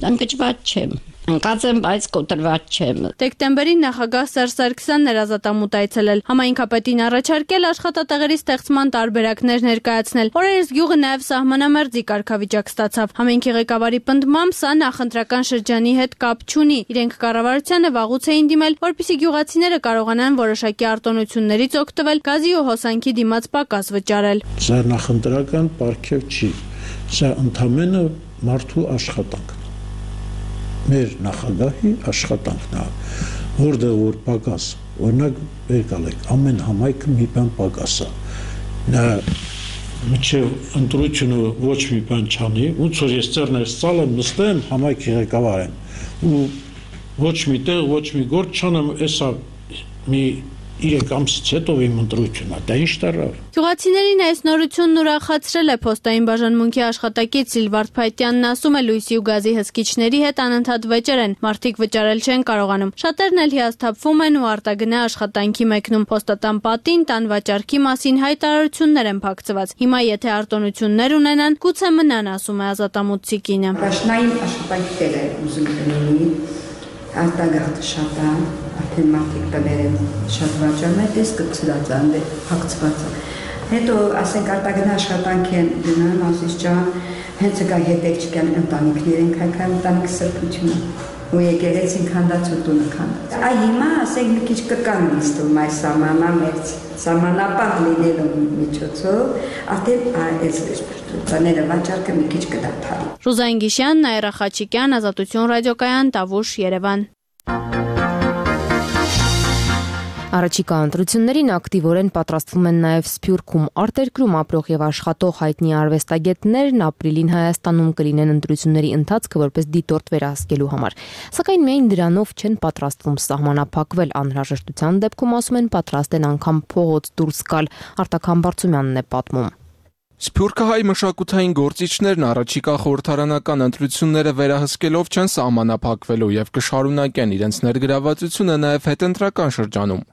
անկճված չեմ։ Անկած եմ, բայց կոտրված չեմ։ Դեկտեմբերին նախագահ Սերժ Սարգսյանն էր ազատամուտ այցելել, համայնքապետին առաջարկել աշխատատեղերի ստեղծման տարբերակներ ներկայացնել։ Օրերս գյուղը նաև սահմանամերձի կարգավիճակ ստացավ։ Համայնքի ղեկավարի պնդմամբ սա նախընտրական շրջանի հետ կապ չունի։ Իրենք կառավարությանը վաղուց էին դիմել, որպեսզի գյուղացիները կարողանան որոշակի արտոնություններից օգտվել, գազի ու հոսանքի դիմաց պակաս վճարել։ Սա նախընտրական պարգև չի։ Սա ընդամենը մարդու աշխատանք։ Մեր նախագահի աշխատանքն է, որտեղ որ պակաս, օրինակ եկալեք, ամեն համայնքը մի բան պակաս է։ Նա մինչև ընտրությունը ոչ մի բան չանի, ոնց որ ես ծերներս ծալեմ, նստեմ, համայնքի ղեկավար եմ, ու ոչ մի տեղ, ոչ մի գործ չանեմ, էսա մի 3 ամսից հետո իմ ընտրությունն է, դա ինչ տարավ։ Գյուղացիներին այս նորությունն ուրախացրել է փոստային բաժանմունքի աշխատակից Սիլվարդ Փայտյանն, ասում է լույսի ու գազի հսկիչների հետ անընդհատ վեճեր են, մարդիկ վճարել չեն կարողանում։ Շատերն էլ հիասթափվում են ու արտագնա աշխատանքի մեկնում։ Փոստատան պատին տան վաճառքի մասին հայտարարություններ են փակցված։ Հիմա եթե արտոնություններ ունենան, գուցե մնան, ասում է ազատամուտցի կինը։ Պաշտային աշխատանքներ է ուզում լինի, արտագաղթը շատ է, արդեն մարդիկ տներ են շատ վաճառում, այդպես կծրած են, փակցված է։ Հետո ասենք արտագնա աշխատանք են գնան, ասես ջան, հենց կա հետեք չկան ընտանիքներ են քայքայ ընտանիք սրբությունը։ Ու եկեղեցին քանդած ու տունը քանդած։ Այ հիմա ասենք մի քիչ կկան նստում այս սահմանամերձ, սահմանապահ լինելու միջոցով, արդեն այս բաները վաճառքը մի քիչ կդադարի։ Ռուզային Գիշյան, Նաիրա Խաչիկյան, Ազատություն ռադիոկայան, Տավուշ, Երևան։ Առաջիկա ընտրություններին ակտիվորեն պատրաստվում են նաև Սփյուռքում արտերկրում ապրող եւ աշխատող հայտնի արվեստագետներն ապրիլին Հայաստանում կլինեն ընտրությունների ընթացքը որպես դիտորդ վերահսկելու համար։ Սակայն միայն դրանով չեն պատրաստվում սահմանափակվել, անհրաժեշտության դեպքում ասում են պատրաստ են անգամ փողոց դուրս գալ։ Արտակ Համբարձումյանն է պատմում։ Սփյուռքահայ մշակութային գործիչներն առաջիկա խորհրդարանական ընտրությունները վերահսկելով չեն սահմանափակվելու եւ կշարունակեն իրենց ներգրավվածությունը նաեւ հետընտրական շրջանում։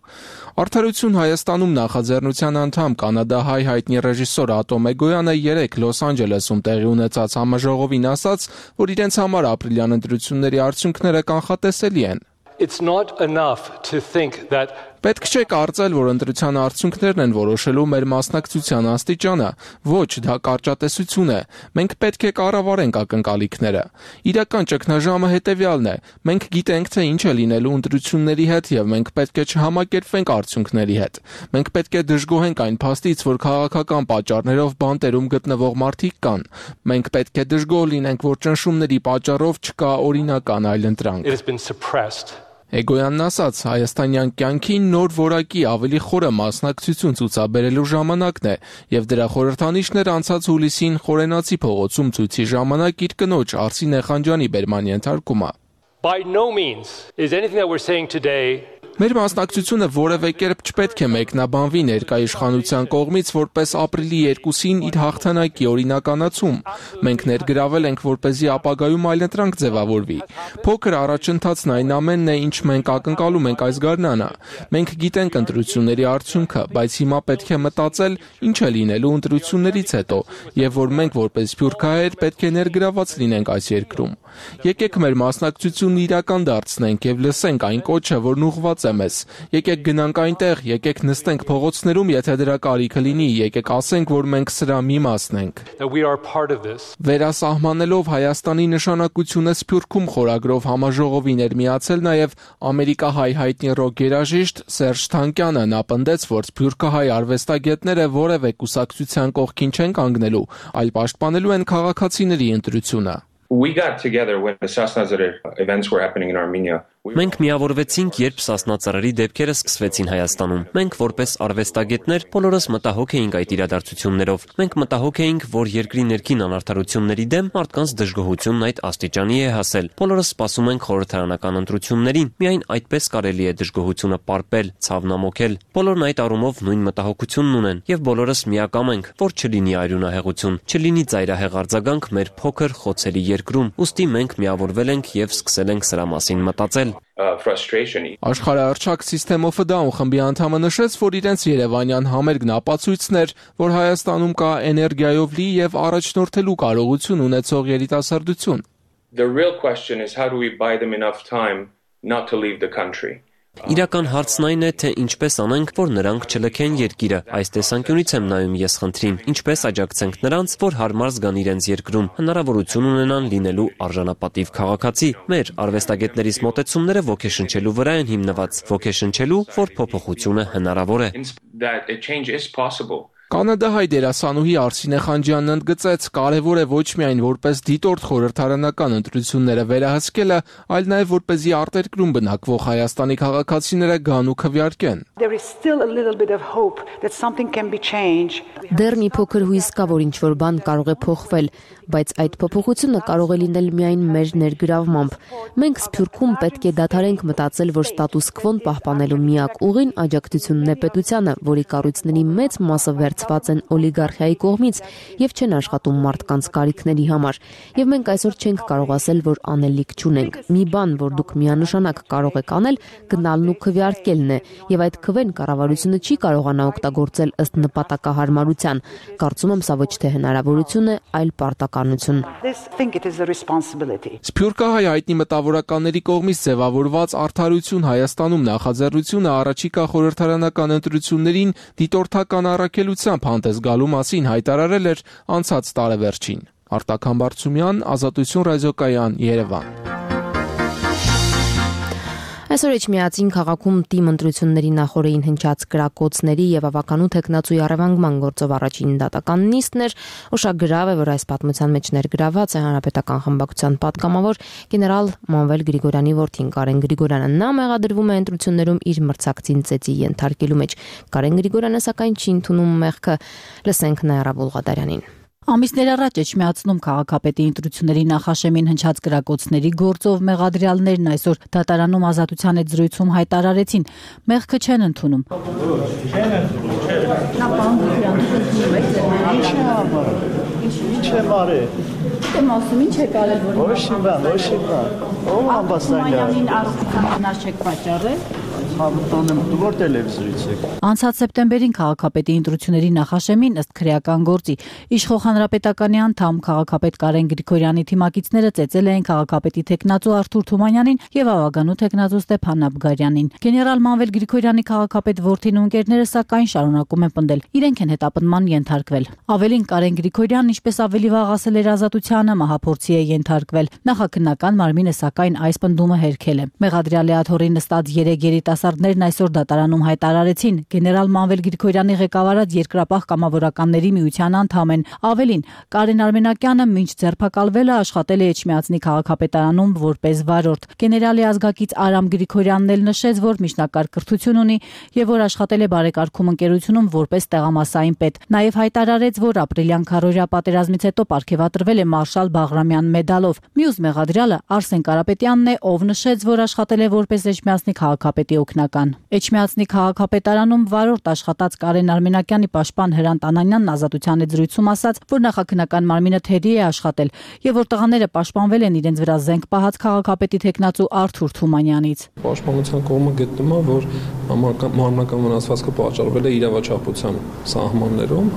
Արդարություն Հայաստանում նախաձեռնության անդամ կանադահայ հայտնի ռեժիսոր Ատոմ Էգոյանը 3 Լոս Անջելեսում տեղի ունեցած համաժողովին ասաց, որ իրենց համար ապրիլյան ընտրությունների արդյունքները կանխատեսելի են։ It's not enough to think that Պետք չէ կարծել, որ ընտրության արդյունքներն են որոշելու մեր մասնակցության աստիճանը, ոչ, դա կարճատեսություն է։ Մենք պետք է կառավարենք ակնկալիքները։ Իրական ճգնաժամը հետևյալն է. մենք գիտենք, թե ինչ է լինելու ընտրությունների հետ եւ մենք պետք է չհամակերպվենք արդյունքների հետ։ Մենք պետք է դժգոհենք այն փաստից, որ քաղաքական պատճառներով բանտերում գտնվող մարդիկ կան։ Մենք պետք է դժգոհ լինենք, որ ճնշումների պատճառով չկա օրինական այլընտրանք։ Էգոյանն ասաց, հայաստանյան կյանքին նոր որակի ավելի խորը մասնակցություն ցուցաբերելու ժամանակն է, եւ դրա խորհրդանիշներ անցած հուլիսին Խորենացի փողոցում ցույցի ժամանակ իր կնոջ Արսին Էխանջյանի բերման ենթարկումը։ By no means is anything that we're saying today Մեր մասնակցությունը որևէ կերպ չպետք է մեկնաբանվի ներկայ իշխանության կողմից որպես ապրիլի 2-ին իր հաղթանակի օրինականացում։ Մենք ներգրավել ենք, որպեսզի ապագայում այլընտրանք ձևավորվի։ Փոքր առաջընթացն այն ամենն է, ինչ մենք ակնկալում ենք այս գարնանը։ Մենք գիտենք ընտրությունների արդյունքը, բայց հիմա պետք է մտածել, ինչ է լինելու ընտրություններից հետո, եւ որ մենք որպես սփյուռքահայեր պետք է ներգրաված լինենք այս երկրում։ Եկեք մեր մասնակցությունն իրական դարձնենք եւ լսենք այն կոչը, որն ուղղված է մեզ։ Եկեք գնանք այնտեղ, եկեք նստենք փողոցներում, եթե դրա կարիքը լինի, եկեք ասենք, որ մենք սրա մի մասն ենք։ Վերասահմանելով Հայաստանի նշանակությունը Սփյուռքում խորագրով համաժողովին էր միացել նաև ամերիկահայ հայտնի ռոք երաժիշտ Սերժ Թանկյանը։ Նա պնդեց, որ սփյուռքահայ արվեստագետները որևէ կուսակցության կողքին չեն կանգնելու, այլ պաշտպանելու են քաղաքացիների ընտրությունը։ We got together when the Sasna Zarir events were happening in Armenia. Մենք միավորվեցինք, երբ Սասնա-Ծռերի դեպքերը սկսվեցին Հայաստանում։ Մենք որպես արվեստագետներ բոլորս մտահոգ էինք այդ իրադարձություններով։ Մենք մտահոգ էինք, որ երկրի ներքին անարդարությունների դեմ մարդկանց դժգոհությունն այդ աստիճանի է հասել։ Բոլորս սպասում ենք խորհրդարանական ընտրություններին։ Միայն այդպես կարելի է դժգոհությունը պարպել, ցավնամոքել։ Բոլորն այդ առումով նույն մտահոգությունն ունեն, եւ բոլորս միակամ ենք, որ չլինի արյունահեղություն, չլինի ծայրահեղ արձագանք մեր փոքր խոցերի երկրում։ Ուստի մենք միավորվել ենք եւ սկսել ենք սրա մասին մտածել։ Աշխարհահռչակ System of a Down խմբի անդամը նշեց, որ իրենց երևանյան համերգն ապացույցն էր, որ Հայաստանում կա էներգիայով լի եւ առաջնորդելու կարողություն ունեցող երիտասարդություն։ The real question is how do we buy them enough time not to leave the country. Իրական հարցն այն է, թե ինչպես անենք, որ նրանք չլքեն երկիրը։ Այս տեսանկյունից եմ նայում ես խնդրին։ Ինչպես աջակցենք նրանց, որ հարմար զգան իրենց երկրում, հնարավորություն ունենան լինելու արժանապատիվ քաղաքացի։ Մեր արվեստագետներից մոտեցումները ոգեշնչելու վրա են հիմնված, ոգեշնչելու, որ փոփոխությունը հնարավոր է։ Կանադահայ դերասանուհի Արսինե Խանջյանն ընդգծեց, կարևոր է ոչ միայն որպես դիտորդ խորհրդարանական ընտրությունները վերահսկելը, այլ նաև որպեսզի արտերկրում բնակվող Հայաստանի քաղաքացիները գան ու քվեարկեն։ Դեռ մի փոքր հույս կա, որ ինչ-որ բան կարող է փոխվել, բայց այդ փոփոխությունը կարող է լինել միայն մեր ներգրավմամբ։ Մենք Սփյուռքում պետք է դադարենք մտածել, որ ստատուս քվոն պահպանելու միակ ուղին աջակցությունն է պետությանը, որի կառույցների մեծ մասը վերցված են օլիգարխիայի կողմից եւ չեն աշխատում մարդկանց կարիքների համար։ Եվ մենք այսօր չենք կարող ասել, որ անելիք չունենք։ Մի բան, որ դուք միանշանակ կարող եք անել, գնալն ու քվեարկելն է, եւ այդ քվեն կառավարությունը չի կարողանա օգտագործել ըստ նպատակահարմարության։ Կարծում եմ, սա ոչ թե հնարավորություն է, այլ պարտականություն։ Սփյուռքահայ հայտնի մտավորականների կողմից ձևավորված Արդարություն Հայաստանում նախաձեռնությունը առաջիկա խորհրդարանական ընտրություններին դիտորդական առաքելությամբ հանդես գալու մասին հայտարարել էր անցած տարեվերջին։ Արտակ Համբարձումյան, Ազատություն ռադիոկայան, Երևան։ Այսօր Էջմիածին քաղաքում թիմ ընտրությունների նախորդին հնչած կրակոցների եւ ավականու տեխնացուի առևանգման գործով առաջին դատական նիստն էր, ուշագրավ է, որ այս պատմության մեջ ներգրաված է հանրապետական խմբակցության պատգամավոր գեներալ Մանվել Գրիգորյանի որդին Կարեն Գրիգորյանը։ Նա մեղադրվում է ընտրություններում իր մրցակցին ծեծի ենթարկելու մեջ։ Կարեն Գրիգորյանը սակայն չի ընդունում մեղքը։ Լսենք Նայրա Բուլղադարյանին։ Ամիսներ առաջ Էջմիածնում քաղաքապետի ընտրությունների նախաշեմին հնչած կրակոցների գործով մեղադրյալներն այսօր դատարանում Ազատության հետ զրույցում հայտարարեցին, մեղքը չեն ընդունում։ Ինչ է մարե։ Դեմ ասում ինչ է կարել որ Ոչինչ բան։ Ո՞վ ամբաստանյան հնար չեք պատճառել։ Դուր տելևիզորից եք։ Անցած սեպտեմբերին քաղաքապետի ընտրությունների նախաշեմին ըստ քրեական գործի իշխող հանրապետականի անդամ քաղաքապետ Կարեն Գրիգորյանի թիմակիցները ծեծել էին քաղաքապետի տեխնացու Արթուր Թումանյանին եւ ավագանու տեխնացու Ստեփան Նաբգարյանին։ Գեներալ Մանվել Գրիգորյանի քաղաքապետ որդին ու ընկերները սակայն շարունակում են պնդել, իրենք են հետապնդման ենթարկվել։ Ավելին Կարեն Գրիգորյանն ինչպես ավելի վաղ ասել էր Ազատությանը, մահափորձի է ենթարկվել։ Նախաքննական մարմինը սակայն այս պնդումը հերքել է։ Մեղադրյալի աթոռի նստած 3 երիտասարդներն այսօր դատարանում հայտարարեցին, գեներալ Մանվել Գրիգորյանի ղեկավարած Երկրապահ կամավորականների միության անդամ են։ Ավելին, Կարեն Արմենակյանը մինչ ձերբակալվելը աշխատել է Էջմիածնի քաղաքապետարանում որպես վարորդ։ Գեներալի ազգակից Արամ Գրիգորյանն էլ նշեց, որ միջնակարգ կրթություն ունի եւ որ աշխատել է բարեկարգում ընկերությունում որպես տեղամասային պետ։ Նաեւ հայտարարեց, որ ապրիլյան քարոզիա պատերազմից հետո պարգևատրվել է Մարշալ Բաղրամյան մեդալով։ Մյուս մեղադրյալը Արսեն Կարապետյանն է, ով նշեց, որ աշխատել է որպես Էջմիածնի քաղաքապետի օգնական նախաքննական։ Էջմիածնի քաղաքապետարանում վարորդ աշխատած Կարեն Արմենակյանի պաշտպան Հրանտ Անանյանն Ազատության զրույցում ասաց, որ նախաքննական մարմինը թերի է աշխատել եւ որ տղաները պաշտպանվել են իրենց վրա զենք պահած քաղաքապետի տեխնացու Արթուր Թումանյանից։ Պաշտպանության կողմը գտնում է, որ մարմնական վնասվածքը պատճառվել է իրավաչափության սահմաններում,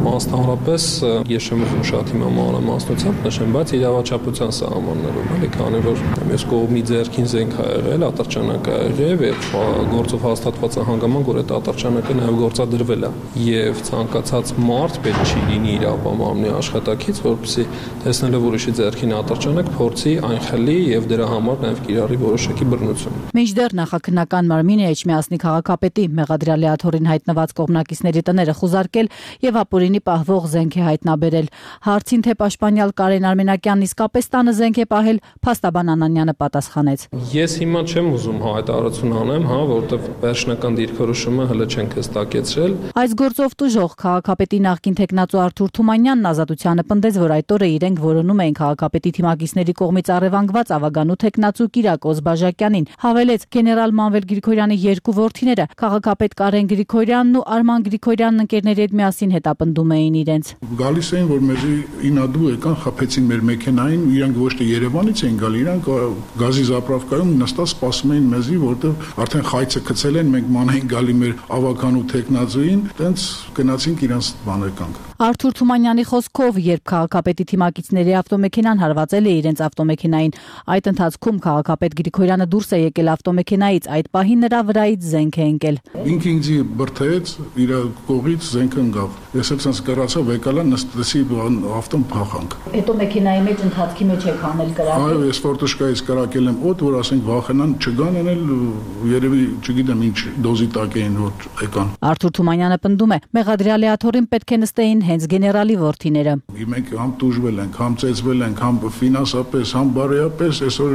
մասնավորապես ես չեմ ուզում շատ հիմա մանրամասնությամբ նշեմ, բայց իրավաչափության սահմաններում, էլի, քանի որ մյուս կողմի ձեռքին զենք ա եղել, ատրճանակ ա եղել եւ գործով հաստատված է հանգամանք, որ այդ ատրճանակը նաեւ գործադրվել է եւ ցանկացած մարդ պետք չի լինի իր ապամամնի աշխատակից, որպեսզի տեսնելով ուրիշի ձեռքին ատրճանակ փորձի այն խլի եւ դրա համար նաեւ կիրառի որոշակի բռնություն։ Մինչդեռ նախաքննական մարմինը Էջմիածնի քաղաքապետի մեղադրյալի աթոռին հայտնված կողմնակիցների տները խուզարկել եւ ապօրինի պահվող զենք է հայտնաբերել։ Հարցին թե պաշտպանյալ Կարեն Արմենակյանն իսկապես տանը զենք է պահել, փաստաբան Անանյանը պատասխանեց. Ես հիմա չեմ ուզում հայտարարություն անեմ, որովհետեւ վերջնական դիրքորոշումը հələ չենք հստակեցրել։ Այս գործով տուժող քաղաքապետի նախկին տեխնացու Արթուր Թումանյանն Ազատությանը պնդեց, որ այդ օրը իրենք որոնում էին քաղաքապետի թիմակիցների կողմից առևանգված ավագանու տեխնացու Կիրակոս Բաժակյանին։ Հավելեց գեներալ Մանվել Գրիգորյանի երկու որդիները քաղաքապետ Կարեն Գրիգորյանն ու Արման Գրիգորյանն ընկերների հետ միասին հետապնդում էին իրենց։ Գալիս էին, որ մեզի ինադու եկան, խփեցին մեր մեքենային, իրանք ոչ թե Երևանից էին գալի, իրանք գազի զապրավկայում նստած սպասում էին մեզի, որտեղ արդեն խայծը գցել են, մենք մանեին գալի մեր ավականու տեխնացուին, տենց գնացինք իրանց բաներկանք։ Արթուր Թումանյանի խոսքով, երբ քաղաքապետի թիմակիցների ավտոմեքենան հարվածել է իրենց ավտոմեքենային, այդ ընթացքում քաղաքապետ Գրիգորյանը դուրս է եկել ավտոմեքենայից, այդ պահին նրա վրայից զենք է ընկել։ Ինքը ինձ բրթեց, իր կողից զենքը ընկավ։ Ես էլ ցած կռացա, վեկալա նստեցի ավտոն փախանք։ Հետո մեքենայի մեջ ընթացքի մեջ եք անել կրակել։ Այո, ես ֆորտուշկայից կրակել եմ օդ, որ ասենք վախենան չգան, էլ երևի չգիտեմ ինչ դոզի տակ էին որ եկան։ Արթուր Թումանյանը պնդում է, մեղադրյալի աթոռին պետք է նստեին հենց գեներալի որդիները։ Մենք համ տուժվել ենք, համ ծեծվել ենք, համ ֆինանսապես, համ բարոյապես, այսօր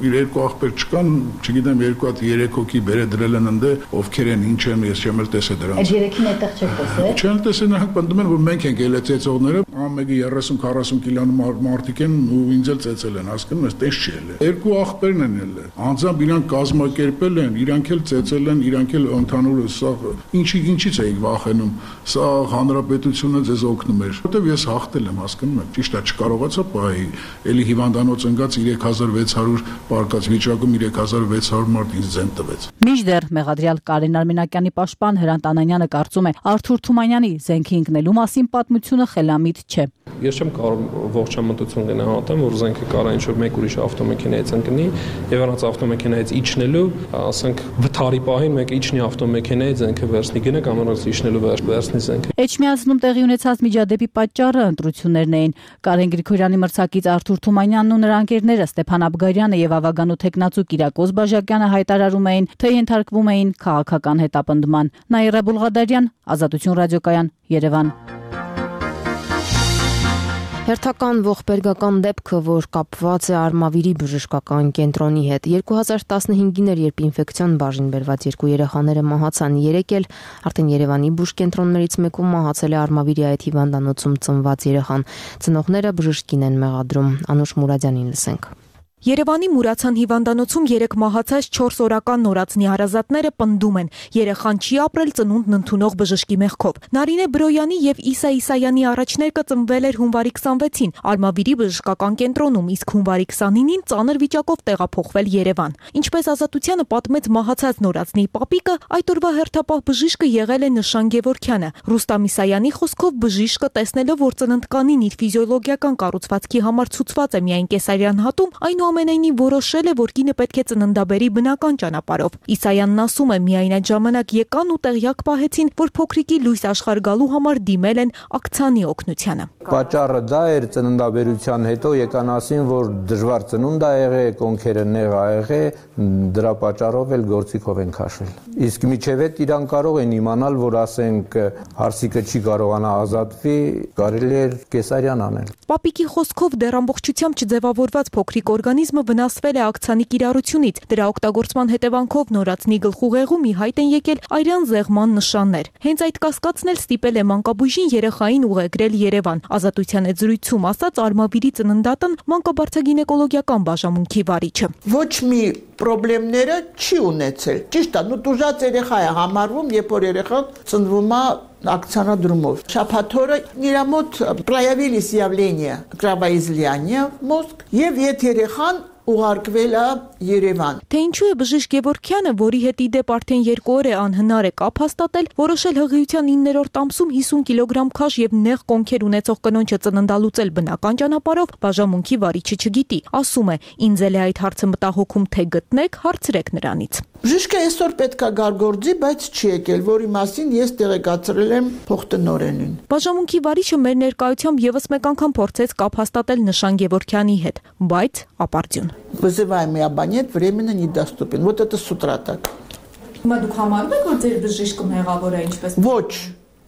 իր երկու աղբեր չկան, չգիտեմ երկու հատ 3 հոգի բերե դրել են ընդե, ովքեր են, ինչ են, ես չեմ էլ տեսել դրանց։ Այդ երեքին այդտեղ չեք տեսել։ Չեմ տեսել, նրանք պնդում են, որ մենք ենք ելել ծեծողները, ամենը 30-40 կիլոնու մարդիկ են ու ինձ էլ ծեծել են, հասկանում ես, տես չի ելել։ Երկու աղբերն են ելել։ Անձամբ իրանք կազմակերպել են, իրանք էլ ծեծել են, իրանք էլ ընդհանուր սա ինչից էիք վախենում։ Սա հանրապետությունը ձեզ օգնում էր, որտեվ ես հաղթել եմ, հասկանում եք, ճիշտ է, չկարողացա պահի, էլի հիվանդանոց ընկած 3600 պարկած վիճակում 3600 մարդ ինձ ձեն տվեց։ Մինչդեռ մեղադրյալ Կարեն Արմենակյանի պաշտպան Հրանտ Անանյանը կարծում է, Արթուր Թումանյանի զենքի ընկնելու մասին պատմությունը խելամիտ չէ։ Ես չեմ կարող ողջամտություն գնահատեմ, որ զենքը կարա ինչ-որ մեկ ուրիշ ավտոմեքենայից ընկնի եւ առանց ավտոմեքենայից իջնելու, ասենք վթարի պահին մեկ իջնի ավտոմեքենայից զենքը վերցնի գնա կամ առանց իջնելու վերցնի զենքը։ Էջմիածնում տեղի ունեցած միջադեպի պատճառը ընտրություններն էին։ Կարեն Գրիգորյանի մրցակից Արթուր Թումանյանն ու նրա ընկերները Ստեփան Աբգարյանը եւ ավագանու տեխնացու Կիրակոս Բաժակյանը հայտարարում էին, թե ենթարկվում էին քաղաքական հետապնդման։ Նաիրա Բուլղադարյան, Ազատություն ռադիոկայան, Երևան։ Հերթական ողբերգական դեպքը, որ կապված է Արմավիրի բժշկական կենտրոնի հետ, 2015-ին էր, երբ ինֆեկցիոն բաժին բերված երկու երեխաները մահացան, երեք էլ արդեն Երևանի բուժկենտրոններից մեկում մահացել է Արմավիրի այդ հիվանդանոցում ծնված երեխան։ Ծնողները բժշկին են մեղադրում։ Անուշ Մուրադյանին լսենք։ Երևանի Մուրացյան հիվանդանոցում 3 մահացած 4 օրական նորածնի հարազատները պնդում են, երեխան չի ապրել ծնունդն ընդունող բժշկի մեղքով։ Նարինե Բրոյանի եւ Իսա Իսայանի առաջներկը ծնվել էր հունվարի 26-ին Արմավիրի բժշկական կենտրոնում, իսկ հունվարի 29-ին ծանր վիճակով տեղափոխվել Երևան։ Ինչպես Ազատությանը պատմեց մահացած նորածնի պապիկը, այդ օրվա հերթապահ բժիշկը եղել է Նշան Գևորգյանը։ Ռուստամ Իսայանի խոսքով բժիշկը տեսնելով, որ ծննդկանին իր ֆիզիոլոգիական կառուցվածքի համար ցուցված է միայն կեսարյան հատում, այնուամենայնիվ որոշել է, որ կինը պետք է ծննդաբերի բնական ճանապարհով։ Իսայանն ասում է, միայն այդ ժամանակ եկան ու տեղյակ պահեցին, որ փոքրիկի լույս աշխարհ գալու համար դիմել են ակցիանի օգնությանը։ Պատճառը դա էր, ծննդաբերության հետո եկան ասին, որ դժվար ծնունդ ա եղել, կոնքերը նեղ ա եղել, դրա պատճառով էլ գործիքով են քաշել։ Իսկ միջև այդ իրան կարող են իմանալ, որ ասենք հարսիկը չի կարողանա ազատվի, կարելի էր կեսարյան անել։ Պապիկի խոսքով դեռ ամբողջությամբ չձևավորված փոքրիկ օրգանիզմը օրգանիզմը վնասվել է ակցանի կիրառությունից։ Դրա օգտագործման հետևանքով նորածնի գլխուղեղում ի հայտ են եկել արյան զեղման նշաններ։ Հենց այդ կասկածն էլ ստիպել է մանկաբույժին երեխային ուղեկրել Երևան։ Ազատության հետ զրույցում ասաց Արմավիրի ծննդատն մանկաբարձագինեկոլոգիական բաժանմունքի վարիչը։ Ոչ մի խնդիրները չի ունեցել։ Ճիշտ է, տուժած երեխա է համարվում, երբ որ երեխան ծնվում է акционодрумов. Շաբաթօրը իր մոտ проявились явления кровоизлияния в мозг, եւ երեխան ուղարկվել է Երևան։ Թե ինչու է Բժիշկ Գևորգյանը, որի հետ ի դեպ արդեն 2 օր է անհնար է կապ հաստատել, որոշել հղիության 9-րդ ամսում 50 կիլոգրամ քաշ եւ նեղ կոնքեր ունեցող կնոջը ծննդալուծել բնական ճանապարհով, բաժանմունքի վարիչը չգիտի։ Ասում է, ինձ էլ է այդ հարցը մտահոգում, թե գտնեք, հարցրեք նրանից։ Բժիշկը այսօր պետքա գարգորձի, բայց չի եկել, որի մասին ես տեղեկացրել եմ փոխտնօրենին։ Բաժանմունքի վարիչը մեր ներկայությամբ եւս մեկ անգամ փորձեց կապ հաստատել Նշան Գևորգյանի հետ, բայց ապարդյուն։ Вызываем и абонент временно недоступен. Вот это с утра так. Հիմա դուք համարում եք, որ ձեր բժիշկը մեղավոր է ինչպես։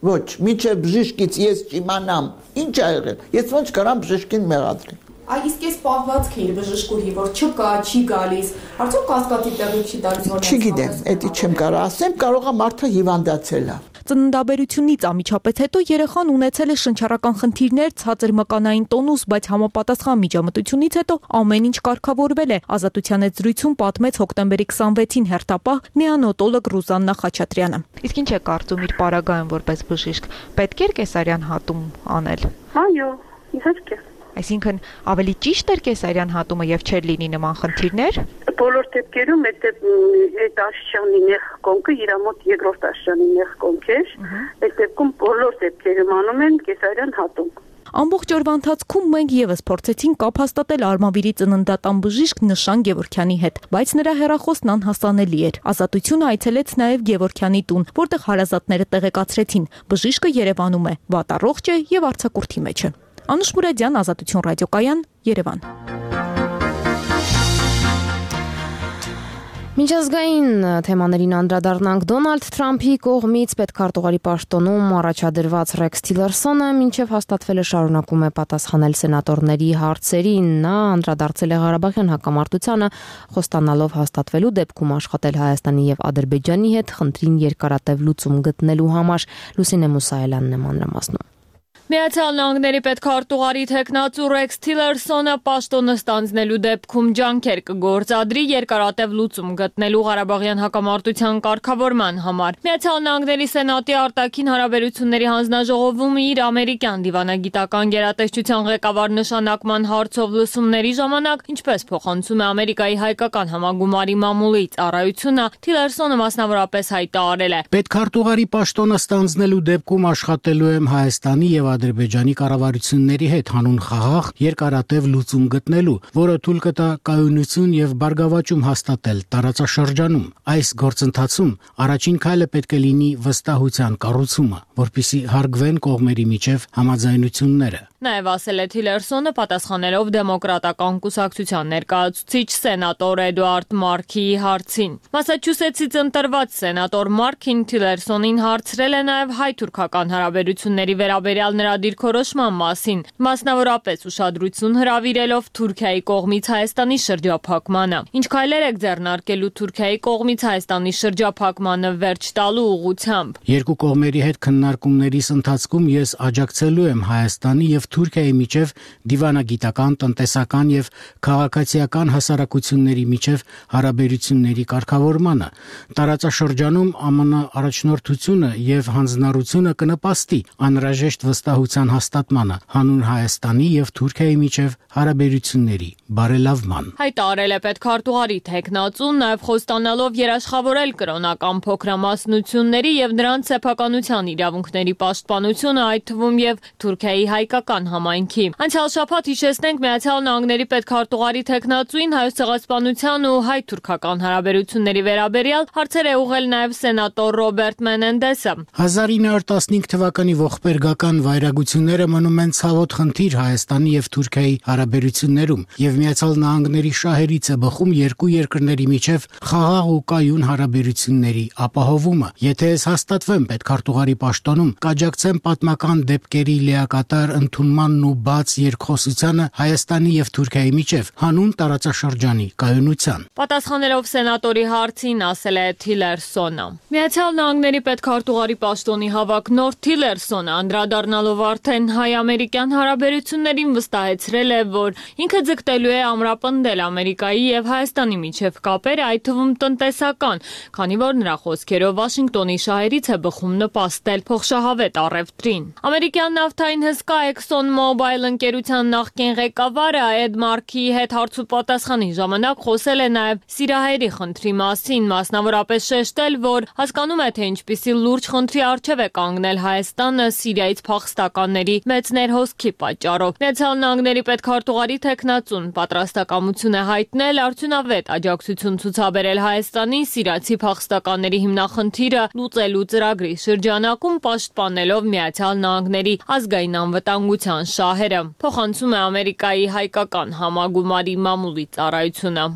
Ոչ, միջև բժիշկից ես չիմանամ, ինչ ա եղել։ Ես ոնց կարամ բժիշկին մեղադրել։ Իսկ ես պահվածք էի բժշկուհի, որ չկա, չի գալիս։ Արդյոք կասկածի տեղի չի տալիս, որ չգիտեմ, դա չեմ կարող ասեմ, կարող է մարդը հիվանդացել է։ Ծննդաբերությունից անմիջապես հետո երեխան ունեցել է շնչառական խնդիրներ, ցածր մկանային տոնուս, բայց համապատասխան միջամտությունից հետո ամեն ինչ կարգավորվել է։ Ազատության հետ զրույցում պատմեց հոկտեմբերի 26-ին հերթապահ նեոնատոլոգ Ռուզաննա Խաչատրյանը։ Իսկ ինչ է կարծում իր պարագայում որպես բժիշկ, պետք է կեսարյան հատում անել։ Այո, իհարկե։ Այսինքն ավելի ճիշտ էր կեսարյան հատումը եւ չէր լինի նման խնդիրներ։ Բոլոր դեպքերում այդ աշճանի նեղ կոնքը իր մոտ երկրորդ աշճանի նեղ կոնք էր։ Այդ դեպքում բոլոր դեպքերում անում են կեսարյան հատում։ Ամբողջ օրվա ընթացքում մենք եւս փորձեցինք կապ հաստատել Արմավիրի ծննդատան բժիշկ Նշան Գևորգյանի հետ, բայց նրա հեռախոսն անհասանելի էր։ Ազատությունը այցելեց նաեւ Գևորգյանի տուն, որտեղ հարազատները տեղեկացրեցին, բժիշկը Երևանում է, վատառողջ է եւ արձակուրդի մեջ է։ Անուշ Մուրադյան, Ազատություն ռադիոկայան, Երևան։ Միջազգային թեմաներին անդրադառնանք Դոնալդ Թրամփի կողմից պետքարտուղարի պաշտոնում առաջադրված Ռեքս Թիլերսոնը մինչև հաստատվելը շարունակում է պատասխանել սենատորների հարցերին։ Նա անդրադարձել է Ղարաբաղյան հակամարտությանը, խոստանալով հաստատվելու դեպքում աշխատել Հայաստանի եւ Ադրբեջանի հետ խնդրին երկարատև լուծում գտնելու համար։ Լուսինե Մուսայելյանն է մանրամասնում։ Միացյալ Նահանգների պետքարտուղարի թեկնածու Ռեքս Թիլերսոնը պաշտոնը ստանձնելու դեպքում ջանքեր կգործադրի երկարատև լուծում գտնելու Ղարաբաղյան հակամարտության կարգավորման համար։ Միացյալ Նահանգների Սենատի արտաքին հարաբերությունների հանձնաժողովում իր ամերիկյան դիվանագիտական գերատեսչության ղեկավար նշանակման հարցով լսումների ժամանակ, ինչպես փոխանցում է Ամերիկայի հայկական համագումարի մամուլի ծառայությունը, Թիլերսոնը մասնավորապես հայտարարել է. Պետքարտուղարի պաշտոնը ստանձնելու դեպքում աշխատելու եմ Հայաստանի եւ Ադրբեջանի կառավարությունների հետ հանուն խաղաղ երկարատև լուծում գտնելու, որը թույլ կտա կայունություն եւ բարգավաճում հաստատել տարածաշրջանում։ Այս գործընթացում առաջին քայլը պետք է լինի վստահության կառուցումը, որպիսի հարգվեն կողմերի միջև համաձայնությունները։ Նաև ասել է Թիլերսոնը պատասխանելով դեմոկրատական կուսակցության ներկայացուցիչ սենատոր Էդուարդ Մարքիի հարցին։ Մասաչուսեթսից ընտրված սենատոր Մարքին Թիլերսոնին հարցրել է նաև հայ-թուրքական հարաբերությունների վերաբերյալ նրա դիրքորոշման մասին, մասնավորապես ուշադրություն հրավիրելով Թուրքիայի կողմից Հայաստանի շրջափակմանը։ Ինչ քայլեր եք ձեռնարկելու Թուրքիայի կողմից Հայաստանի շրջափակմանը վերջ տալու ուղղությամբ։ Երկու կողմերի հետ քննարկումներիս ընթացքում ես աջակցելու եմ Հայաստանի եւ Թուրքիայի միջև դիվանագիտական, տնտեսական եւ քաղաքացիական հասարակությունների միջև հարաբերությունների կարգավորմանը։ Տարածաշրջանում ԱՄՆ առաջնորդությունը եւ հանձնառությունը կնպաստի անհրաժեշտ վստահության հաստատմանը, հանուն Հայաստանի եւ Թուրքիայի միջև հարաբերությունների բարելավման։ Հայտարարել է պետքարտուղարի թեկնածուն, նաև խոստանալով երաշխավորել կրոնական փոքրամասնությունների եւ նրանց սեփականության իրավունքների պաշտպանությունը, այդ թվում եւ Թուրքիայի հայկական համայնքի։ Անցյալ շաբաթ հիշեցնենք Միացյալ Նահանգների պետքարտուղարի թեկնածուին Հայոց ցեղասպանության ու հայ-թուրքական հարաբերությունների վերաբերյալ հարցեր է ուղղել նաև սենատոր Ռոբերտ Մենենդեսը։ 1915 թվականի ողբերգական վայրագիր գերագությունները մնում են ցավոտ խնդիր Հայաստանի եւ Թուրքիայի հարաբերություններում եւ Միացյալ Նահանգների շահերից է բխում երկու երկրների միջև խաղաղ ու կայուն հարաբերությունների ապահովումը։ Եթե ես հաստատվեմ պետքարտուղարի պաշտոնում, կաջակցեմ պատմական դեպքերի լիակատար ընդունմանն ու բաց երկխոսությանը Հայաստանի եւ Թուրքիայի միջև հանուն տարածաշրջանի կայունության։ Պատասխանելով սենատորի հարցին ասել է Թիլերսոնը։ Միացյալ Նահանգների պետքարտուղարի պաշտոնի հավակնորդ Թիլերսոնը անդրադառնալով արդեն հայ-ամերիկյան հարաբերություններին վստահեցրել է, որ ինքը ձգտելու է ամրապնդել Ամերիկայի եւ Հայաստանի միջև կապերը, այդ թվում տնտեսական, քանի որ նրա խոսքերով Վաշինգտոնի շահերից է բխում նպաստել փոխշահավետ առևտրին։ Ամերիկյան նավթային հսկա ExxonMobil ընկերության նախկին ղեկավարը Էդ Մարքիի հետ հարցուպատասխանի ժամանակ խոսել է նաեւ սիրահերի խնդրի մասին, մասնավորապես շեշտել, որ հասկանում է, թե ինչպիսի լուրջ խնդրի առջև է կանգնել Հայաստանը Սիրիայից փախստականների մեծ ներհոսքի պատճառով։ Միացյալ Նահանգների պետքարտուղարի թեկնածուն պատրաստակամություն է հայտնել արդյունավետ աջակցություն ցուցաբերել Հայաստանին սիրիացի փախստականների հիմնախնդիրը լուծելու ծրագրի շրջանակում, պաշտպանելով Միացյալ Նահանգների ազգային անվտանգության շահերը, փոխանցում է Ամերիկայի հայկական համագումարի մամուլի ծառայությունը։